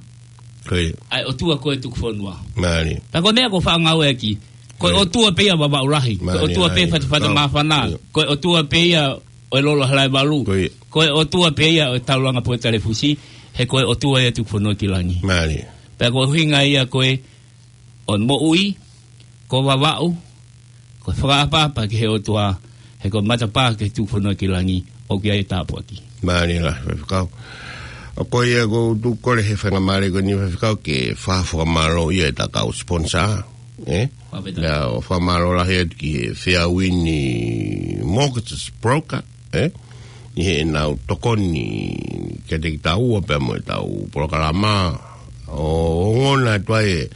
Ko ia. ʻA e ʻOtua ko ē tuku fonua. Mālie. Pea ko e meʻa ʻoku ou faʻa ngāueʻaki. Ko e Ko ia. ʻOtua pē ia Vavaʻu Lahi. Ko e Mālie, ʻOtua pē mālie. Fatafata Māfana. Ko ia. Ko e ʻOtua pē ia ʻo e Lolo Halaevalu. Ko ia. Ko e ʻOtua pē ia ʻo e Taulanga Pōtalefusi. He ko e ʻOtua ia tuku fonua ki langi. Mālie. Pea ko e ʻuhinga ia ko ē ʻo e moʻui, ko Vavaʻu, ko e fakaʻapaʻapa ki he ʻOtua, he ko e matapā ki he tuku fonua ki langi, ʻoku ʻi ai e tāpuaki. Mālie lahi, Faifekau. ʻA ko ia ʻoku ou tuku kole he faingamālie ko eni Faifekau ke fakafakamālō ia ʻeta kau sponsor, ē? Fakafetaʻi. Pea ʻoku ou fakamālō lahi atu ki he Fairwind Mortgage Broker, ē? ʻI heʻenau tokoni kiate kitaua pea mo ʻetau polokalama ʻo ongona atu ai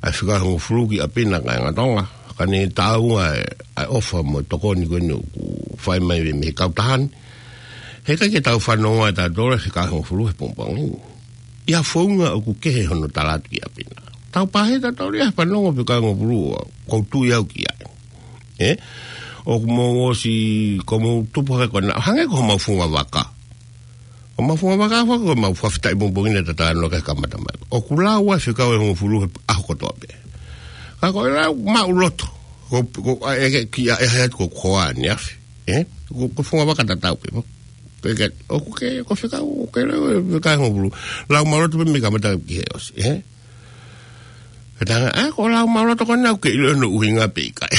ʻa e fika hongofulu ki ʻapi na kāinga Tonga. Ka ne taʻu ʻa e, ʻa e ʻofa mo e tokoni ko eni ʻoku fai mai mei he kautaha ni. He ʻikai ke tau fanongo ʻa tautolu ʻa e fika hongofulu he pongipongi ni. ʻI ha founga ʻoku kehe hono tala atu ki ʻapi na. Tau pāhia tautolu ia he fanongo pē ka ngofulu ʻoku ou tui au ki ai. Ē? ʻOku mou ʻosi, ko mou tupu hake ko ena, hangē ko homau funga vaka. Ko homau funga vaka, fa-, ko homau fakafetaʻi pongipongi naʻe tatano ke kamata mai. ʻOku lau ai fekau ʻe hongofulu he ʻaho kotoa pē. Ka ko e lau maʻuloto. Ko, ko, ʻa, ʻe, ʻe, ki, ʻa, ʻe, ʻe, ko, ko ʻaneafi. Ē? Ko, ko funga vaka tatau pē, mo. Ko e ke, ʻoku ke, ko fekau, ʻoku ke lau, ʻe, fekau ʻe hongofulu. Lau maʻuloto pē mei kamata ki he ʻosi, ē? Ka tanga, ʻa, ko lau maʻuloto ko ena ʻoku ke ʻilo hono ʻuhinga pe ʻikai.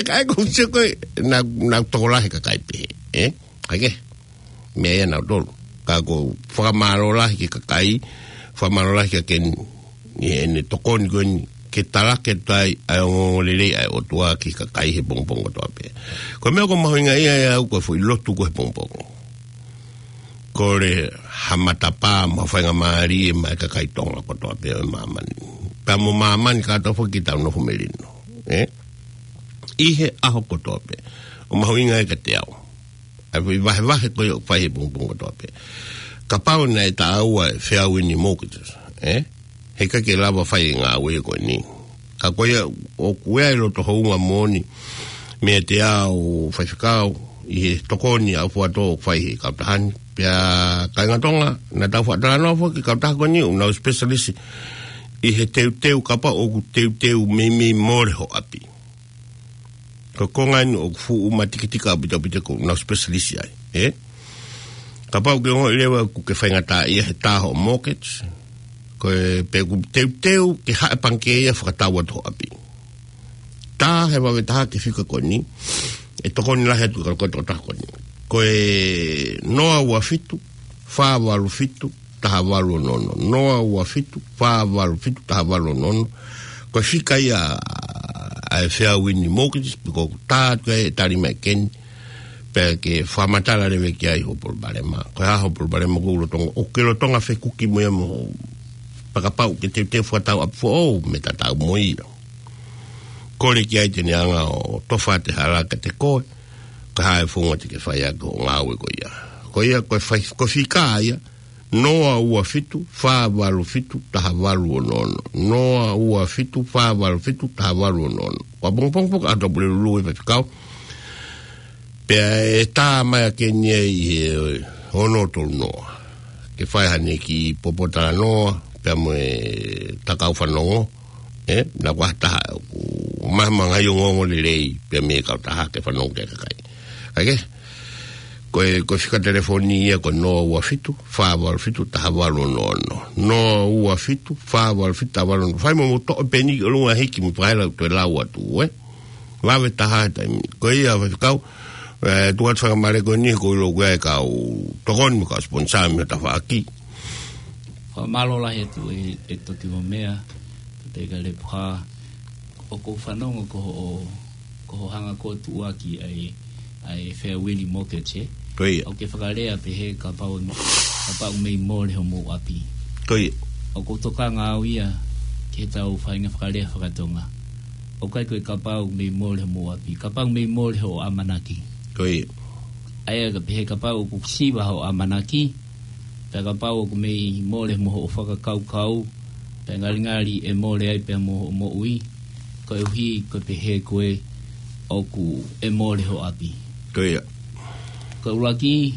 Ka ʻoku ou sio ko ē, naʻa, naʻa tokolahi kakai pē, ē? ʻAi ke, meʻa ia nautolu. Ka ʻoku ou fakamālō lahi ki he kakai, fakamālō lahi kia Keni, ʻi heʻene tokoni ko eni, ke talaki atu ai ʻa e ongoongolelei ʻa e ʻOtua ki he kakai he pongipongi kotoa pē. Ko e meʻa ʻoku mahuʻinga ia ʻia au ko e foʻi lotu ko ē he pongipongi. Kole ha matapā mo ha faingamālie maʻa e kakai Tonga kotoa pē ʻo e māmani. Pea mo māmani kātoa foki ke tau nofo melino. Ē? ʻI he ʻaho kotoa pē. ʻOku mahuʻinga ia kiate au. ʻA e foʻi vahevahe ko ia ʻoku fai he pongipongi kotoa pē. Kapau naʻe taʻau ʻa e Fair Wind Mortgages. Ē? Heʻikai ke lava fai e ngāue ko eni. Ka ko ia ʻoku ʻi ai e loto hounga moʻoni meiate au faifekau ʻi he tokoni ʻa Fuato ʻoku fai he kautaha ni. Pea kāinga Tonga, naʻa tau faʻa talanoa foki ki he kautaha ko eni, ʻoku nau specialist ʻi he teuteu kapau ʻoku teuteu meimei mole ho ʻapi. Ko e konga eni ʻoku fuʻu matikitika ʻaupito ʻaupito ʻoku nau specialist ai, ē? Kapau ʻoku ke ongoʻi leva ʻoku ke faingataʻaʻia he tā hoʻo mortgage, ko e pe ʻoku teuteu ke haʻu e pangikē ia ʻo fakatau atu ho ʻapi. Tā he vave taha ki he fika ko eni, ʻe tokoni lahi atu ka ko e tokotaha ko eni. Ko e noa ua fitu, fā valu fitu, taha valu ono ono. Noa ua fitu, fā valu fitu, taha valu ono ono. Ko e fika ia ʻa e Fair Wind Mortgage, pe ko e tā atu ʻe tali mai ʻe Keni, pea ke fakamatala leva ki ai hoʻo palopalema. Ko e hā hoʻo palopalema ʻoku ke lolotonga, ʻoku ke lolotonga fekuki mo ia mo, pea kapau ʻoku ke teuteu fakatau ʻapi foʻou, meʻa tatau mo ia. Kole ki ai te ne hanga ʻo tofa atu e hala kiate koe, ka ko e hā e founga te ke fai ʻaki hoʻo ngāue ko ia. Ko ia, ko e fai, ko e fika ia, noa ua fitu, fā valu fitu, taha valu ono ono. Noa ua fitu, fā valu fitu, taha valu ono ono. Ko e pongipongi foki ʻa Tupulelulu e faifekau. Pea ʻe tā mai ʻa Keni ʻi he ono tolu noa. Ke fai haʻane kiʻi poupou talanoa, pea mo e takau fanongo, ē, naʻa ko ha taha ʻoku mahamahanga ʻi he ongoongolelei, pea mei he kautaha ke fanongo ki he kakai. ʻAi ke, ko e, ko e fika telefoni ia ko e noa ua fitu, fā valu fitu, taha valu ono ono. Noa ua fitu, fā valu fitu, taha valu ono ono. Fai mo mou toʻo peni ki ʻolunga hiki mo fakaila ʻoku toe lau atu, ē. Vave taha he taimi. Ko ia faifekau, ē, tuʻu atu fakamālō ko eni ko e ʻilo ko e kau tokoni mo e kau sponsor mei he tafaʻaki. Fakamālō lahi atu ē, ʻe Toki Vomea, Toteka Lepuha, ʻoku ou fanongo ko hoʻo, ko hoʻo hanga ko ē ʻo tuʻuaki ʻa e, ʻa e Fair Wind Mortgage, ē? Ko ia. ʻOku ke fakalea pehē kapau, kapau mei mole homou ʻapi. Ko ia. ʻOku ou tokanga au ia ki heʻetau faʻahinga fakalea fakatonga. ʻOku ʻikai ko e kapau mei mole homou ʻapi, kapau mei mole hoʻo ʻamanaki. Ko ia. ʻA ia ka pehē kapau ʻoku siva hoʻo ʻamanaki, pea kapau ʻoku mei mole mo hoʻo fakakaukau, pea ngalingali ʻe mole ai pea mo hoʻo moʻui, koeʻuhi ko e pehē ko ē ʻoku ʻe mole hoʻo ʻapi. Ko ia. Ko e ʻuluaki,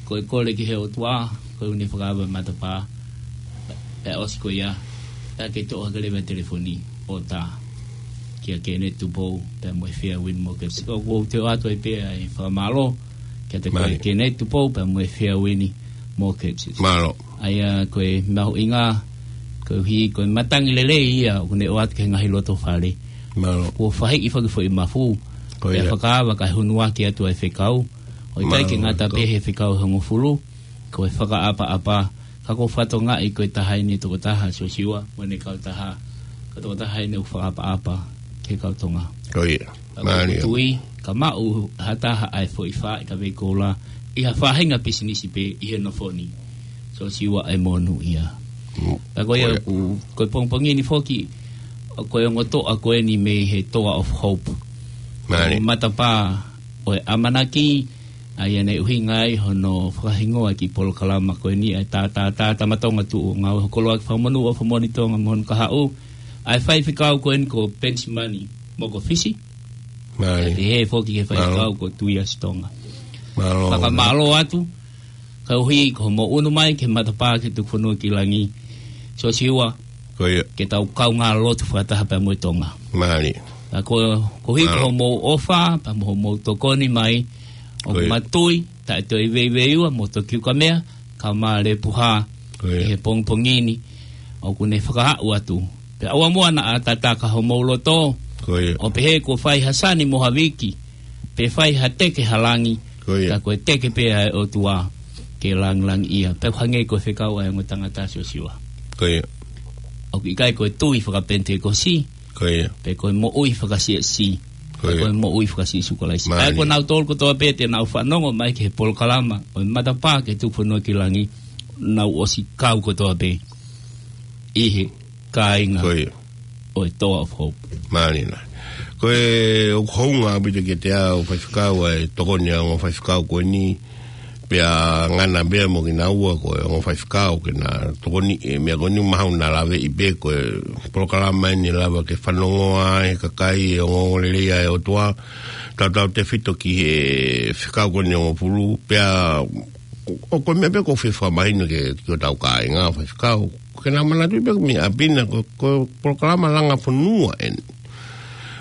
ko e kole ki he ʻOtua, ko ʻene fakaava e matapā, pea ʻosi ko ia, pea ke toʻo hake leva e telefoni ʻo tā kia Keni Tupou, pea mo e Fair Wind Mortgage. ʻOku ou toe ʻoatu ai pē ʻa e fakamālō, kiate koe Mālie. Keni Tupou, pea mo e Fair Wind Mortgage. Mālō. ʻA ia ko e mahuʻinga, koeʻuhi ko e matangi lelei ia, ʻoku ne ʻoatu ki he ngaahi loto fale. Mālō. Kuo fahiʻi foki e foʻi mafu, Ko ia. Pea fakaava kae hunuaki atu ʻa e fekau. ʻOku ʻikai ke Mālō, ngata ko pē he fekau ʻe hongofulu, ko e fakaʻapaʻapa, ka ʻoku ou fakatokangaʻi ko e taha eni e tokotaha, Siosiua, mo ʻene kautaha, ko e tokotaha eni ʻoku fakaʻapaʻapa ki he kau Tonga. Ko ia. Ka ʻoku Mālie. Tui, ka maʻu ha taha ʻa e foʻi fā ʻi ka vei koula, ʻi ha faʻahinga pisinisi pē ʻi he nofo ni. Siosiua ʻe monūʻia. Mm. Ka ko ia Ko ia. ʻoku, ko e pongipongi ni foki, ko e ongo toʻa ko eni mei he Toa of Hope. Mālie. Matapā ʻo e ʻamanaki, ʻA ia naʻe ʻuhinga ai hono fakahingoa e kiʻi polokalama ko eni ʻa e Tātātā Tama Tonga Tuʻu ʻo Ngāue Hokoloaki Fakamonū ʻOfa Moʻoni Tonga mo hono kahaʻu ʻa e faifekau ko eni ko Penisimani Mokofisi. Mālō. Pehē foki ki he faifekau ko Tuiasi Tonga. Mālō. Fakamālō atu, koeʻuhi ko hoʻomou ʻunu mai ki he matapā ki he tukufonua ki langi. Siosiua, Ko ia. ke tau kaungā lotu fakataha pea mo e Tonga. Mālō. Ka ko, koeʻuhi ko Mālō. hoʻomou ʻofa, pea mo hoʻomou tokoni mai, ʻoku Ko ia. ma tui, taʻe toe veiveiua, mo toki ukamea, ka ma le puha, Ko ia. ʻi he pongipongi ni, ʻoku ne fakaaʻu atu. Pea ʻoua muʻa naʻa tataka homou loto, Ko ia. ʻo pehē kuo fai ha sani mo ha viki, pe fai ha teke ha langi, Ko ia. ka ko e teke pē ʻa e ʻOtua ke langilangiʻia. Pea hangē ko e fekau ʻa e ongo tangata Siosiua. Ko ia. ʻOku ʻikai ko e tui fakapenitekosi, Ko ia. pe ko e moʻui fakasiasi, Ko pe ia. ko e moʻui fakasiasi Kalaisi. Mālō. ʻA ia ko nautolu kotoa pē te nau fanongo mai ki he polokalama ʻo e matapā ki he tukufonua ki langi, nau ʻosi kau kotoa pē ʻi he kāinga Ko ia. ʻo e Toa of Hope. Mālina. Ko e ʻoku hounga ʻaupito kiate au faifekau ʻa e tokoni ʻa e ongo faifekau ko eni, pea ngana pea mo kinaua ko e ongo faifekau ke na tokoni e meʻa ko eni mahau na lave i pe ko e polokalama eni lava ke fanongoa e kakai e ongoongolelei ʻa e ʻOtua, tautautefito ki he fekau ko eni ʻo Ngofulu, pea ʻo ko e meʻa pē ʻoku ou fie fakamahino ke, ki hotau kāinga faifekau, ke na manatuʻi pē ko e meʻa ʻapi na ko, ko e polokalama langa fonua eni.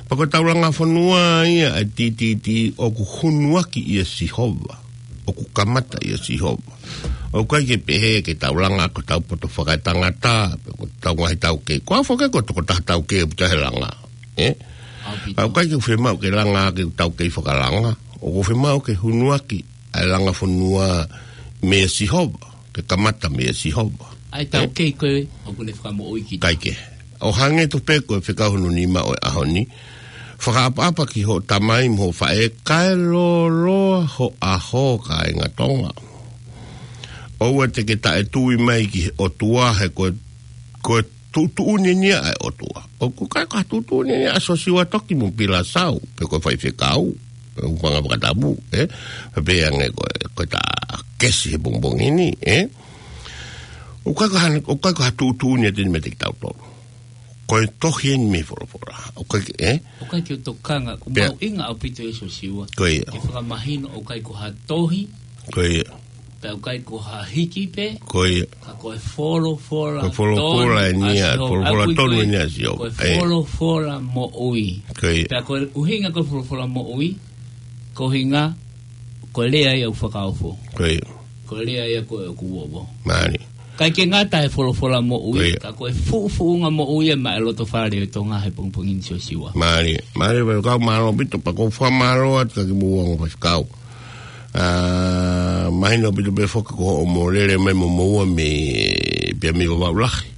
Pea ko e tau langa fonua ia ʻa e T T T ʻoku hunuaki ʻia Sihova, ʻoku kamata ʻia Sihova. ʻOku ʻikai ke pehē ke tau langa ko hotau poto fakaetangata, pe ko hotau ngaahi taukei. Ko au foki ko e tokotaha taukei ʻaupito he langa. ʻE? ʻAupito. ʻOku ʻikai ke fiemaʻu ke langa ke tau kei fakalanga. ʻOku fiemaʻu ke hunuaki ʻa e langa fonua meia Sihova, ke kamata meia Sihova. ʻA e taukei ko ē ʻoku ne fakamoʻui kita. ʻIkai ke. ʻO hangē tofu pē ko e fekau hono nima ʻo e ʻaho ni. Fakaʻapaʻapa ki hoʻo tamai mo hoʻo faʻē kae lōloa ho ʻaho kāinga Tonga. ʻOua te ke taʻetui mai ki he ʻOtua he ko e, ko e tuʻutuʻuni eni ia ʻa e ʻOtua. ʻOku ʻikai ko ha tuʻutuʻuni eni ia ʻa Siosiua Toki mo Pila Sau, pe ko e faifekau, pe ko e ʻū fanga fakatapu, ʻe? Pea pehē ange ko e, ko e ta kesi he pongipongi ni, ʻe? ʻOku ʻikai ko ha, ʻoku ʻikai ko ha tuʻutuʻuni ʻa e tini mete ki tautolu. Ko e tohi eni mei he folofola. ʻOku ʻikai, ʻe? ʻOku ʻikai ke u tokanga, ko Pea mahuʻinga ʻaupito ʻe Siosiua. Ko ia. Ke fakamahino ʻoku ʻikai ko ha tohi. Ko ia. Pea ʻoku ʻikai ko ha hiki pē. Ko ia. Ka ko e folofola Ko e folofola tonu eni ʻa ia, Sihova. folofola ʻOku ʻikai tonu ko e, eni ʻa Sihova. ko e ʻE. folofola moʻui. Ko ia. Pea ko e ʻuhinga ko e folofola moʻui, ko e ʻuhinga, ko e lea ia ʻoku fakaofo. Ko ia. Ko e lea ia ko ē ʻoku uovo. Mālō. ʻIkai ke ngata he folofola moʻui, Ko ia. ka ko e fuʻufuʻunga moʻui ia maʻa e loto fale ʻo Tonga he pongipongi ni Siosiua. Mālō. Mālō, faifekau mālō ʻaupito pea ʻoku ou fakamālō atu kiate kimoua ongo faifekau. ʻA, mahino ʻaupito pē foki ko hoʻomou lele mai mo moua mei, pea mei Vavaʻu Lahi.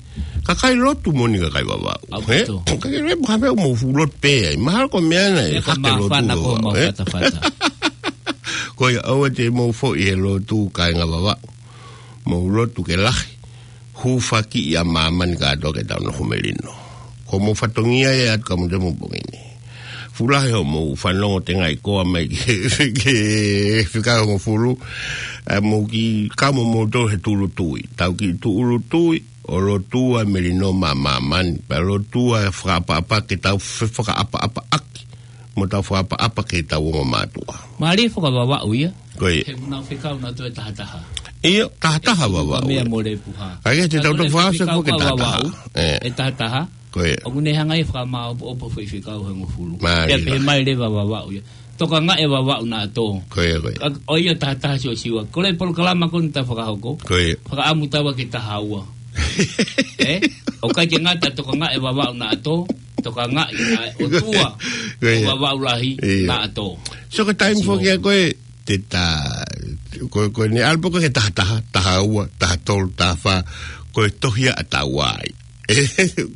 Kakai lotu moʻoni kakai Vavaʻu. ʻAupito. ʻE? Kakai lotu, ka pea mou fuʻu lotu pē ai. Mahalo ko e meʻa na ʻe Pea ka hake lotu, māfana ko ʻe? mau fatafata. Ko ia ʻoua te mou foʻi he lotu kāinga Vavaʻu. Mou lotu ke lahi. Hūfaki ʻa māmani kātoa ke tau nofo melino. Ko hoʻomou fatongia ia atu ka mou te mou pongi ni. Fuʻu lahi hoʻomou fanongo tengaʻi koa mai ke, ke fika Ngofulu. ʻA mou ki kamo mou tō he tūʻulutui. Tau ki tūʻulutui, ʻo lotua melino mā māmani. Pea lotua fakaʻapaʻapa ke tau fefakaʻapaʻapaʻaki. Mo tau fakaʻapaʻapa ke tau ongo mātuʻa. Mālie fakavavaʻu ia. Ko ia. He ʻoku nau fekau nautolu ʻe tahataha. ʻIo, tahataha Vavaʻu ia. Meʻa mo le puha. ʻA ia, te tau tau fekau fakaʻapaʻapa ʻe tahataha. Vavaʻu, ʻE. ʻe tahataha. Ko ia. ʻOku ne hanga ia fakamāopoopo foʻi fekau he Ngofulu. Mālie. Pea pehē mai leva Vavaʻu ia. Tokangaʻi ʻa Vavaʻu naʻa tō. Ko ia, ko ia. ʻA, ʻoku ʻi ai tahataha Siosiua. Ko e polokalama ko eni ʻoku ta fakahoko. Ko ia. Fakaʻamu taua ke taha ua. ʻE? ʻOku ʻikai ke ngata tokangaʻi ʻa Vavaʻu naʻa tō. Tokangaʻi ʻa e ʻOtua. Ko ia. ʻO Vavaʻu Lahi Ia. naʻa tō. So ko e taimi Sio. foki ʻa ko ē, te ta, ko, ko eni ʻalu pē ko ē ke tahataha, taha ua, taha tolu, taha fā, ko e tohi ia ʻa taua ai.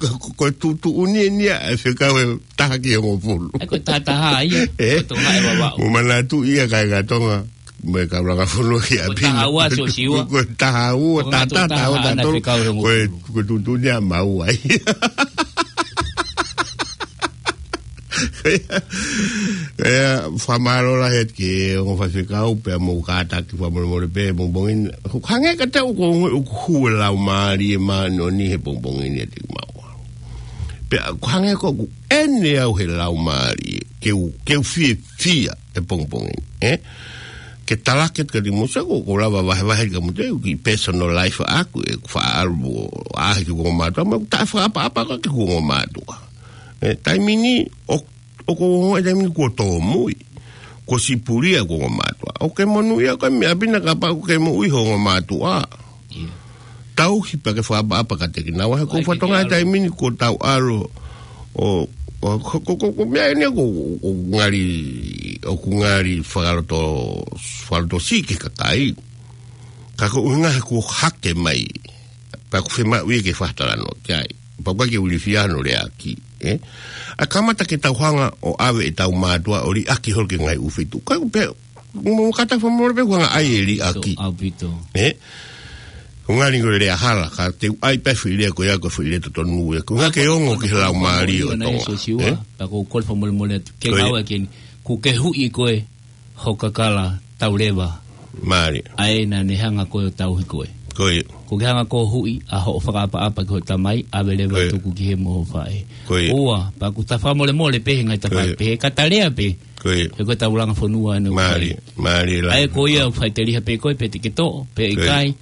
Ko, ko, ko e tuʻutuʻuni eni ia, ʻa e fekau ʻe taha ki he Ngofulu. ʻA ia ko e tahataha ia, ʻE? ko e tokangaʻi ʻa Vavaʻu. Mou manatuʻi ia kāinga Tonga, mo e kau langa fonua ki ʻapi na. Ko e taha ua Siosiua. Ko, ko e taha ua, Ko e taha taha, taha ua, taha taha ʻa e tolu. fekau he Ko e, Ngofulu. ko e tuʻutuʻuni ia ʻa maua ia. ʻE, fakamālō lahi atu ki he ongo faifekau pea mo e kātaki fakamolemole pē he pongipongi ni. Hangē kiate au ʻoku, ʻoku hū e laumālie māʻoniʻoni he pongipongi ni ʻiate kimaua. Pea hangē ʻoku ʻene au he laumālie, ke u, ke u fiefia he pongipongi ni, ē? Ke talaki atu kiate kimoutolu, ʻoku ou lava vahevahe kiate kimoutolu, ʻeku personal life ʻaʻaku, ʻeku faʻa ʻalu ʻo ʻaʻahi ki he ongo mātuʻa, mo ʻeku taʻefakaʻapaʻapa ki he ongo mātuʻa. Ē, taimi ni, ʻo, ʻoku ou ongoʻi e taimi ni kuo tōmui, kuo sipulia ʻeku ongo mātuʻa. ʻOku ke monūʻia koe mei ʻapi na kapau ʻoku ke moʻui ho ongo mātuʻa. ʻIo. Tauhi pea ke fakaʻapaʻapa kiate kinaua, he ʻoku ou fakatokangaʻi e taimi ni kuo tau ʻalu ʻo, ʻo, ko, ko, ko, ko e meʻa eni ʻoku, ʻoku ngali, ʻoku ngali fakaloto, fakalotosiʻi ki he kakai. Ka ko e ʻuhinga he kuo hake mai, pea ʻoku fiemaʻu ia ke fakatalanoa ki ai. Pea ʻoku ʻikai ke u ilifia hono leaʻaki, ē? ʻA e kamata ke tau hanga ʻo ʻave ʻetau mātuʻa ʻo liʻaki holo ki he ngaahi ʻū feituʻu. Ka ʻoku pehē, mo kātaki fakamolemole pē ʻoku hanga ʻai e liʻaki. ʻAupito. Ē? ʻOku ngali ko e lea hala, ka te u ʻai pē foʻi lea ko ia, ko e foʻi lea totonu ia. ʻOku hanga ke ongo ki he laumālie ʻo Tonga. Ē? Pea ʻoku ou kole fakamolemole atu. Ke ngāue ke ni, ʻoku ke huʻi koe, ho kakala tau leva. Mālie. ʻA ē naʻa ne hanga koe ʻo tauhi koe. Ko ia. ʻOku ke hanga koe ʻo huʻi ʻa hoʻo fakaʻapaʻapa ki hoʻo tamai, ʻave leva ʻo tuku ki he mo ho faʻē. Ko ia. Ua, pea ʻoku ta fakamolemole pē he ngaahi tafaʻaki pehē, ka ta lea pē. Ko ia. He ko e taulanga fonua ʻeni ʻoku fai. Mālie, mālie lahi. ʻA ē ko ia ʻoku faʻiteliha pē koe pe te ke toʻo, pe ʻikai,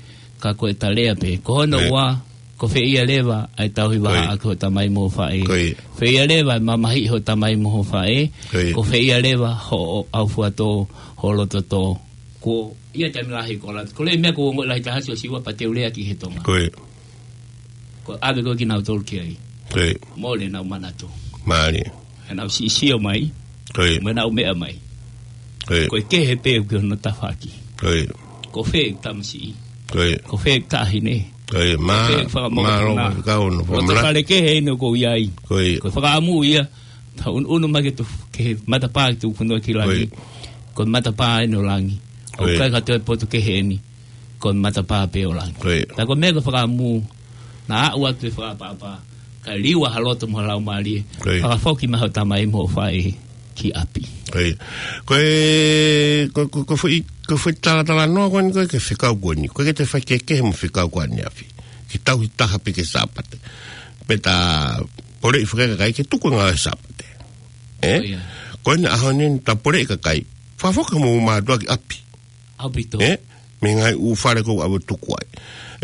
ka ko e ta lea pē. Ko hono ua, ko fē ia leva ʻa e tauhi vahaʻa ki hoʻo tamai mo ho faʻē. Ko ia. Fē ia leva ʻa e mamahiʻi hoʻo tamai mo ho faʻē. Ko ia. Ko fē ia leva hoʻo ʻaufuatō, hoʻo lototō. Ko ia taimi lahi ko la. Ko e meʻa ʻoku ou ongoʻi lahi taha Siosiua pea te u lea ki he Tonga. Ko ia. Ko e ʻave ko ē kinautolu ki ai. Ko ia. Mole ʻenau manatu. Mālie. He naʻa nau siʻi sio mai. Ko ia. Mo ʻenau meʻa mai. Ko ia. Ko e kehe pē ʻoku ʻi hono tafaʻaki. Ko ia. Ko fē ʻeku tamasiʻi. Ko ia. Ko fē ʻeku taʻahine. Ko ia. Mā-, ko fē ʻeku fakamokopuna. Mālō, faifekau, hono fakamālō. Loto fale kehe ʻeni ʻoku ou ʻi ai. Ko ia. Ko e fakaʻamu ia. Tau ʻunuʻunu mai ki he tu-, ki he matapā ki he tuʻufonua ki langi. Ko ia. Ko e matapā ʻeni ʻo langi. Ko ia. ʻOku ʻikai ka toe potu kehe ʻeni. Ko e matapā pē ʻo langi. Ko ia. Tā ko e meʻa ko e fakaʻamu, naʻa aʻu atu e fakaʻapaʻapa, kae liua ha loto mo ha laumālie, ko ia, fakafoki mai hoʻo tamai mo hoʻo faʻē ki ʻapi. Ko ia. Ko e, ko, ko, ko e foʻi, ko e foʻi talatalanoa ko eni ko ē ki he fekau ko eni. ʻOku ʻikai ke toe faikehekehe mo e fekau ko eni ʻaneafi. Ke tauhi taha pē ki he Sāpate. Pea ta poleʻi fakaekakai ke tuku e ngāue Sāpate. Ē? Ko ia. Ko eni ʻaho ni ta poleʻi kakai. Fakafoki homou mātuʻa ki ʻapi. ʻAupito. Ē? Mei he ngaahi ʻū fale ʻoku ʻave ʻo tuku ai.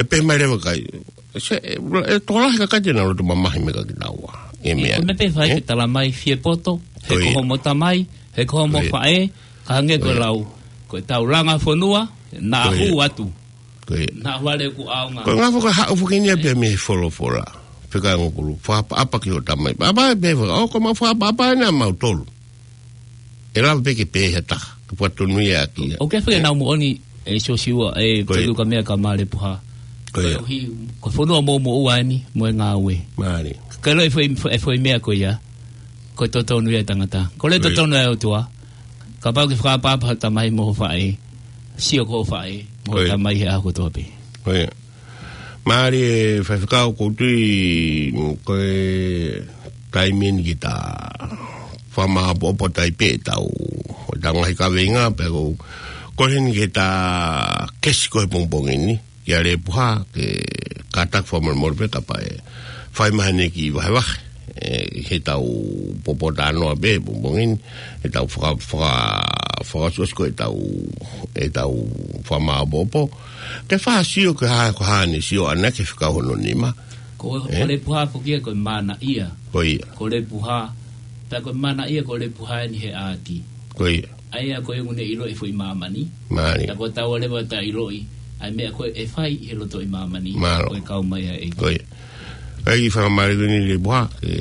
ʻE pehē mai leva e kakai. Se, ʻe, ʻe tokolahi e kakai te nau loto mamahi mai kiate kinaua. ʻE meʻa. Ko e meʻa pē ʻe fai, ē? Ke tala mai fie poto, he ko ia, ko homo tamai, he ko homo, ko ia, faʻē, ka hangē ko e, ko ia, lau. Ko e taulanga fonua, naʻa, ko ia, hū atu. Ko ia. Naʻa vale ʻoku ʻaonga. Ko e ngaahi foki haʻu foki ni ia pē mei he folofola. Fekau ngokulu. Fakaʻapaʻapa ki hoʻo tamai. ʻApaʻapa pē faka-, ʻo ko e maʻu fakaʻapaʻapa ʻeni ʻa mautolu. ʻE lava pē ke pehē ha taha, ke fakatonuhiaʻaki ia. ʻOku ʻi ai e foʻi, ē, nau moʻoni, ē, Siosiua, ē, ko ia, ko e ʻuhi ko e meʻa ka male puha. Ko ia. Ko e ʻuhi, ko e fonua mou moʻua ʻeni, mo e ngāue. Mālie. Ka ʻilo e foʻi, e foʻi meʻa ko ia, ko e totonu ia e tangata. Ko e, ko ia, totonu ia e ʻOtua. Kapau ʻoku ke fakaʻapaʻapa hoʻo tamai mo hoʻo faʻē, sio ki hoʻo faʻē mo hoʻo, ko ia, tamai he ʻaho kotoa pē. Ko ia. Mālie faifekau, ʻoku ou tui ko e taimi eni ke ta fakamāʻopoʻopo atu ai pē ʻetau, ʻetau ngaahi kaveinga, pea ʻoku ou kole heni ke ta kesi ko ē he pongipongi ni, kia Lepuha, ke kātaki fakamolemole pē kapau ʻe fai mai haʻane kiʻi vahevahe, ē, heʻetau popotalanoa pē he pongipongi ni, heʻetau faka-, faka-, fakaʻosiʻosi ko ē ʻetau, ʻetau fakamāʻopoʻopo. Ke fakasio ki he hā, ko e hā ʻene sio ʻaʻana ki he fekau hono nima. Ko, ē? Ko Lepuha foki ia ko e manaʻia. Ko ia. Ko Lepuha, pea ko e manaʻia ko Lepuha ʻeni he ʻaati. Ko ia. ʻA ia ko e ʻuhinga ʻoku ne ʻiloʻi e foʻi māmani. Mālie. Pea ko taua leva ʻoku ta ʻiloʻi ʻa e meʻa ko ē ʻe fai ʻi he loto ʻi māmani. Mālō. Ko e kau mai ʻa e ʻEiki. Ko ia. ʻEiki, fakamālō ʻaupito Lepuha, ke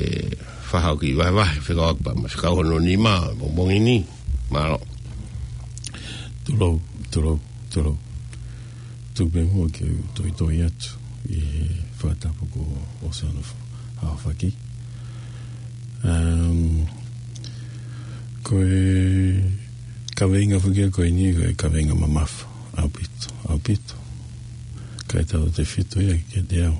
fakahoko e kiʻi vahevahe, fekauʻaki pea mo e fekau hono nima he pongipongi ni. Mālō. Tulou, tulou, tulou. Tuku pē muʻa ke u toitoi atu ʻi he fakatapu kuo ʻosi hono fa-, aofaki. Um, ko e kaveinga foki ia ko eni, ko e kaveinga mamafa ʻaupito, ʻaupito. Kae tautefito ia kiate au.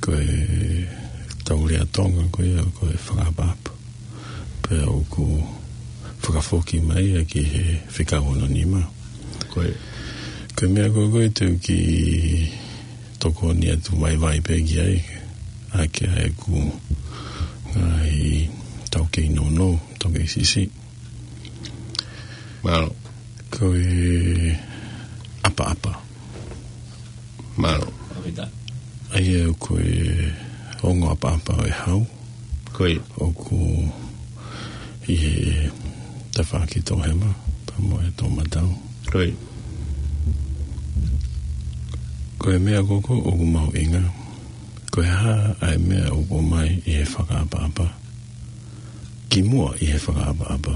Ko ʻetau lea Tonga ko ia, ko e fakaʻapaʻapa. Pea ʻoku fakafoki mai ia ki he fekau hono nima. Ko e. Ko e meʻa ko ē ko ē te u kiʻi tokoni atu vaivai pē ki ai, ʻa ke ʻai ʻeku ngaahi taukei nounou, taukei siʻisiʻi. Mālō. Ko e ʻapaʻapa. Mālō. ʻA ia ko e ongo ʻapaʻapa ʻo e hau. Ko ia. ʻOku ʻi he tafaʻaki toʻohema, pea mo e toʻomatau. Ko ia. Ko e meʻa ko ē ʻoku mahuʻinga. Ko e hā ʻa e meʻa ʻoku ʻomai ʻi he fakaʻapaʻapa. Kimuʻa ʻi he fakaʻapaʻapa.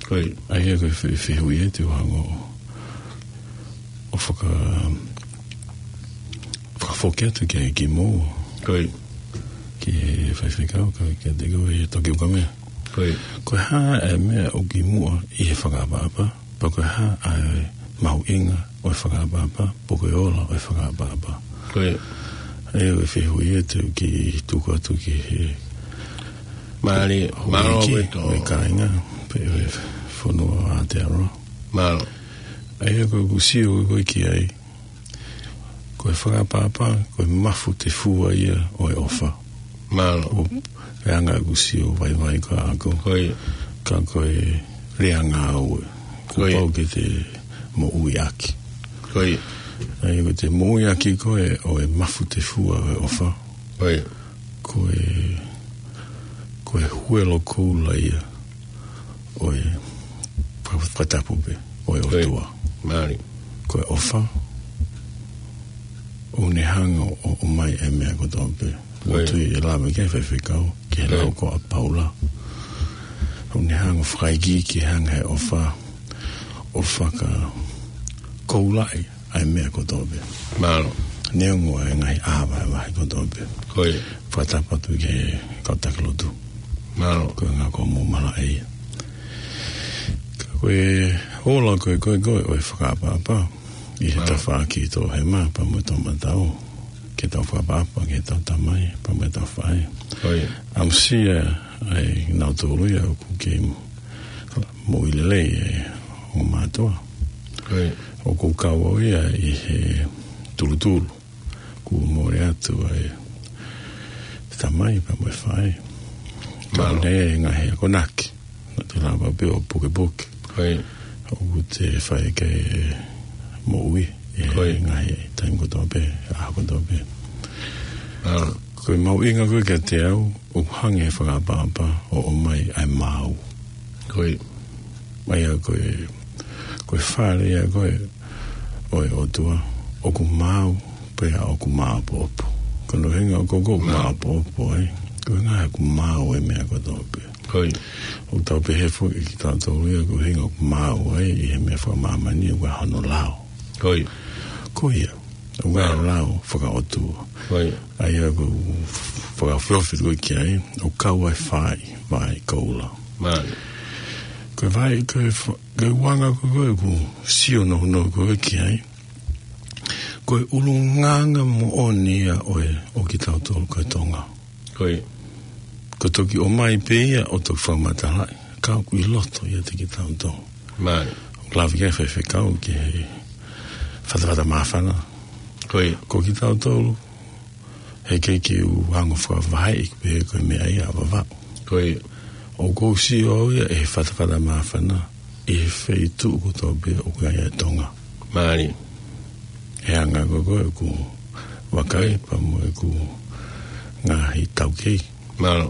Ko ia. ʻA ia ko e fe-, fehuʻi ē te u hanga ʻo faka-, fakafoki atu ki ai kimuʻa. Ko ia. Ki he faifekau, ka, kiate koe Toki Ukamea. Ko ia. Ko e hā ʻa e meʻa ʻoku kimuʻa ʻi he fakaʻapaʻapa, pea ko e hā ʻa e mahuʻinga ʻo e fakaʻapaʻapa, pe ko e ola ʻo e fakaʻapaʻapa. Ko ia. ʻA ia ko e fehuʻi ē te u kiʻi tuku atu ki he Mālō, mālō houʻeiki, ʻaupito. ʻO e kāinga, pea ʻo e fonua ʻo Aotearoa. Mālō. ʻA ia ko ʻeku sio ko ē ki ai, ko e fakaʻapaʻapa, ko e mafu tefua ia ʻo e ʻofa. Mālō. ʻO e anga ʻeku sio vaivai ko ē ʻaʻaku. Ko ia. Ka ko e lea ngāue. Ko ia. Kuo pau ke te moʻui ʻaki. Ko ia. ʻA ia ko e te moʻui ʻaki ko ē ʻo e mafu tefua ʻo e ʻofa. Ko ia. Ko e, ko e huelo koula ia ʻo e fa-, fakatapu pē ʻo e ʻOtua. Mālō. Ko e ʻofa, ʻoku ne hanga ʻo, ʻomai e meʻa kotoa pē. Ko ia. ʻOku tui ʻe lava ke faifekau, ke Ko ia. lau ko ā Paula. ʻOku ne hanga ʻo fakaikiiki hanga he ʻofa, ʻo fakakoulaʻi ʻa e meʻa kotoa pē. Mālō. Neongo ʻa e ngaahi ʻā vahevahe kotoa pē. Ko ia. Fakatapu atu ki he kau taki lotu. Mālō. Ko e ʻuhinga ko hoʻomou malaʻe ia. Ka ko e ola ko ē, ko ē, ko ē, ʻo e fakaʻapaʻapa. ʻI he Mālō. tafaʻaki toʻohema, pea mo e toʻomatau. Ke tau fakaʻapaʻapa, ke tau tamai, pea mo e tau faʻē. Ko ia. ʻAmusia ʻa e nau tolu ia ʻoku kei moʻui lelei ʻa e ongo mātuʻa. Ko ia. ʻOku kau au ia ʻi he tulutulu. Kuo mole atu ʻa e tamai pea mo e faʻē. Mālō. Ka ʻoku ʻi ai e ngaahi akonaki. Naʻa te lava pē ʻo pukepuke. Ko ia. ʻOku te fai ki he moʻui ʻi he Ko ia. ngaahi taimi kotoa pē, ʻaho kotoa pē. Mālō. Ko e mahuʻinga ko ē kiate au, ʻoku hanga ʻe he fakaʻapaʻapa ʻo ʻomai ʻa e maau. Ko ia. ʻA ia ko e, ko e fale ia ko ē ʻo e ʻOtua, ʻoku maau, pea ʻoku maʻopoʻopo. Ko hono ʻuhinga ko ē ʻoku Mālō. maʻopoʻopo ai, ko e ʻuhinga ʻoku maau e meʻa kotoa pē. Ko ia. ʻOku tau pehē foki kitautolu ia ko e ʻuhinga ʻoku maau ai ʻi he meʻa fakamāmani ʻoku ʻi ai hono lao. Ko ia. Ko ia. ʻOku ʻi ai Mālō. lao fakaʻotua. Ko ia. ʻA ia ʻoku fakaʻofoʻofa ko ē ki ai, ʻoku kau ai fai, vai koula. Mālō. Ko e vai, ko e fa-, ko e uanga ko ē ʻoku sio nounou ko ē ki ai. Ko e ʻulungaanga moʻoni ia ʻo e, ʻo kitautolu ko e Tonga. Ko ia. Ko e toki ʻomai pē ia ʻo toki fakamatalaʻi, ka ʻoku ʻi loto ʻiate kitautolu. Mālō. ʻOku lave ki ai e faifekau ki he fatafata māfana. Ko ia. Ko kitautolu, heʻikai ke u hanga ʻo fakavaheʻi pē ko e meʻa ia ʻa Vavaʻu. Ko ia. ʻOku ou sio au ia ʻi he fatafata māfana, ʻi he feituʻu kotoa pē ʻoku ʻi ai ʻa Tonga. Mālō. He anga ko ē ʻoku ou vakai Ko ia. pea mo ʻeku ngaahi taukei. Mālō.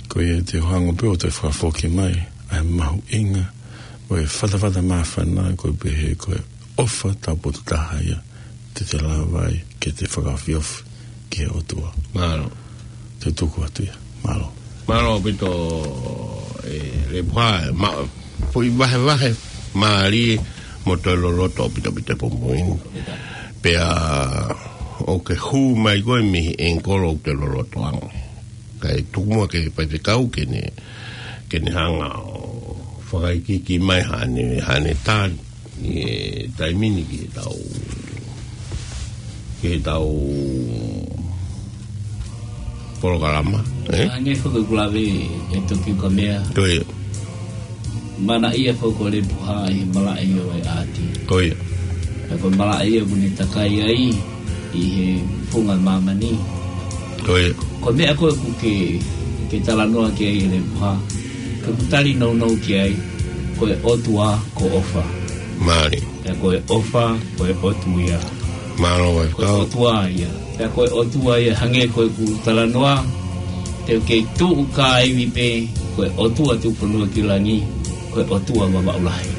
Ko ia te u hanga pē ʻo toe fakafoki mai ʻa e mahuʻinga ʻo e fatafata māfana ko e pehē ko e ʻofa taupotu taha ia te te lava ai ke te fakaofiofi ki he ʻOtua. Mālō. Te u tuku atu ia. Mālō. Mālō ʻaupito ē Lepuha, ma-, foʻi vahevahe mālie mo toe loloto ʻaupito ʻaupito e pongipongi ni. Pea ʻoku ke hū mai koe mei he ʻengikolo ʻoku te loloto ange. Kae tuku muʻa ki he faifekau ke ne, ke ne hanga ʻo fakaikiiki mai haʻane, haʻane tali ʻi he taimi ni ki he tau, ki he tau polokalama, ē? Hangē foki ko e lave ʻe Toki Ukamea. Ko ia. Manaʻia foki ko Lepuha ʻi he malaʻe ʻo e ʻāti. Ko ia. Pea ko e malaʻe ʻoku ne takai ai ʻi he funga māmani. Ko ia. Ko e meʻa ko ē ʻoku ke, ke talanoa ki ai ʻe Lepuha, ka ʻoku tali nounou ki ai, ko e ʻOtua ko ʻOfa. Mālie. Pea ko e ʻOfa, ko e ʻOtua ia. Mālō e kau. Ko e ʻOtua ia. Pea ko e ʻOtua ia hangē ko ʻeku talanoa, te u kei tuʻu kāivi pē, ko e ʻOtua tuʻufonua ki langi, ko e ʻOtua Vavaʻu Lahi.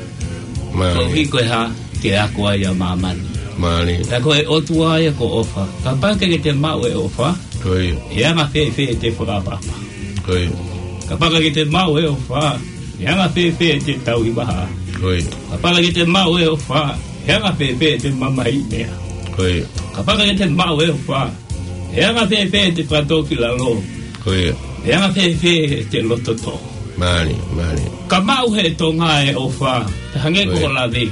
Mālie. Koeʻuhi ko e hā, ke ako ai ʻa māmani. Mālie. Pea ko e ʻOtua ia ko ʻOfa. Kapau ʻoku ke te maʻu e ʻOfa, ko ia, ʻe anga fēfē ʻete fakaʻapaʻapa? Ko ia. Kapau ʻoku ke te maʻu e ʻOfa, ʻe anga fēfē ʻete tauhi vahaʻa? Ko ia. Kapau ʻoku ke te maʻu e ʻOfa, ʻe anga fēfē ʻete mamahiʻi meʻa? Ko ia. Kapau ʻoku ke te maʻu e ʻOfa, ʻe anga fēfē ʻete fakatōkilalo? Ko ia. ʻE anga fēfē ʻete loto tō? Mālie, mālie. Ka maʻu ʻe he Tonga e ʻOfa, pea hangē ko, ko ia, hoʻo lave,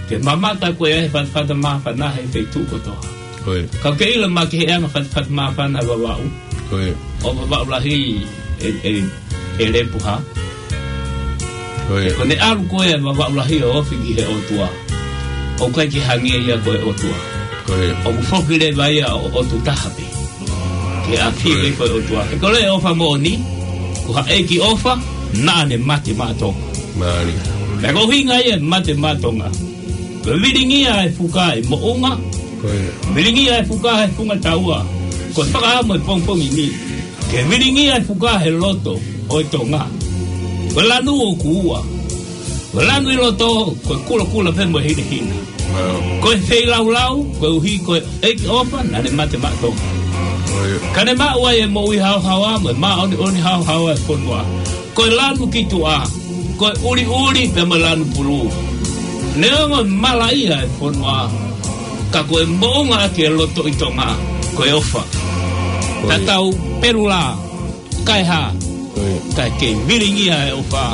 ke mamata ko ē he fatafata māfana he feituʻu kotoa. Ko ia. Ka ke ʻilo mai ki he anga fatafata māfana Vavaʻu. Ko ia. ʻO Vavaʻu Lahi ʻe, ʻe, ʻe Lepuha. Ko ia. Ko ʻene ʻalu ko ē Vavaʻu Lahi ʻo ofi ki he ʻOtua, ʻoku ʻikai ke hangē ia ko e ʻOtua. Ko ia. ʻOku foki leva ia ʻo ʻotu taha pē. Ke ʻafio, ko ia, pē ko e ʻOtua. He ko e ʻOfa moʻoni, ko ha ʻEiki ʻofa naʻa ne mate maʻa Tonga. Mālie. Pea ko e ʻuhinga ia e mate maʻa Tonga, ko e vilingia e fuka ʻi Moʻunga. Ko ia. Vilingia e fuka he Funga Taua. Ko e fakaʻamu e pongipongi ni ke vilingia e fuka he loto ʻo e Tonga. Ko e lanu ʻoku ua. Ko e lanu ʻi loto, ko e kulokula pē mo e hinehina. Mālie. Ko e feilaulau, koeʻuhi ko e ʻEiki ʻofa naʻa ne mate maʻa Tonga. Ko ia. Ka ne maʻu ai e moʻui haohaoa mo e māʻoniʻoni haohaoa e fonua. Ko e lanu ki tuʻa, ko e ʻuliʻuli pea mo e lanu pulu. Neongo e malaʻia e fonua, ka ko e moʻunga ʻaki e loto ʻi Tonga, ko e ʻofa. Ko ia. Tatau pelu lā, kae hā, ko ia, kae kei vilingia e ʻofa.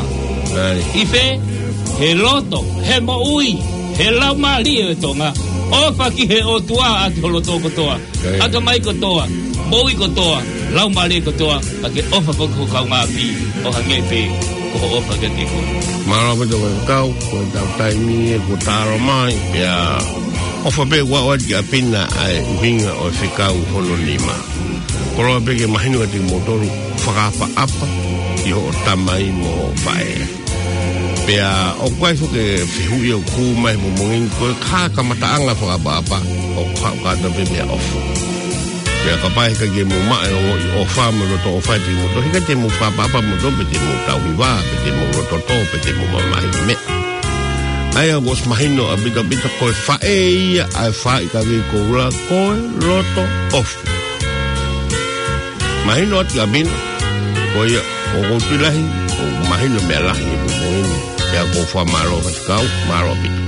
Mālie. ʻI fē? He loto, he moʻui, he laumālie e Tonga. ʻOfa ki he ʻOtua ʻaki ho loto kotoa. Ko ia. ʻAtamai kotoa, moʻui kotoa, laumālie kotoa, pea ke ʻofa foki ki ho kaungāʻapi, ʻo hangē pē ko hoʻo ʻofa kiate koe. Mālō ʻaupito e kau, ko e tau taimi ē kuo talo mai, pea ʻofa pē ʻoku ʻoatu ki ʻapi na ʻa e ʻuhinga ʻo e fekau hono nima. Koloa pē ke mahino kiate kimoutolu, fakaʻapaʻapa ki hoʻo tamai mo hoʻo faʻē. Pea ʻoku ʻi ai foki e fehuʻi ʻoku hū mai he pongipongi ni, ko e hā e kamataʻanga e fakaʻapaʻapa? ʻOku haʻu kātoa pē mei he ʻofa. Pea kapau he ʻikai ke mou maʻu e ongoʻi ʻofa mo e loto ʻofa ʻiate kimoutolu, he ʻikai te mou fakaʻapaʻapa moutolu, pe te mou tauhi vā, pe te mou loto tō, pe te mou mamahiʻi meʻa. ʻA ia kuo ʻosi mahino ʻaupito ʻaupito, ko e faʻē ia ʻa e faʻē ʻikai ke koula, ko e loto ʻofa. Mahino atu ʻaupito, ko ia, ʻoku ou tui lahi ʻoku mahino meʻa lahi he pongipongi ni. Pea ʻoku ou fakamālō atu ki he kau, mālō ʻaupito.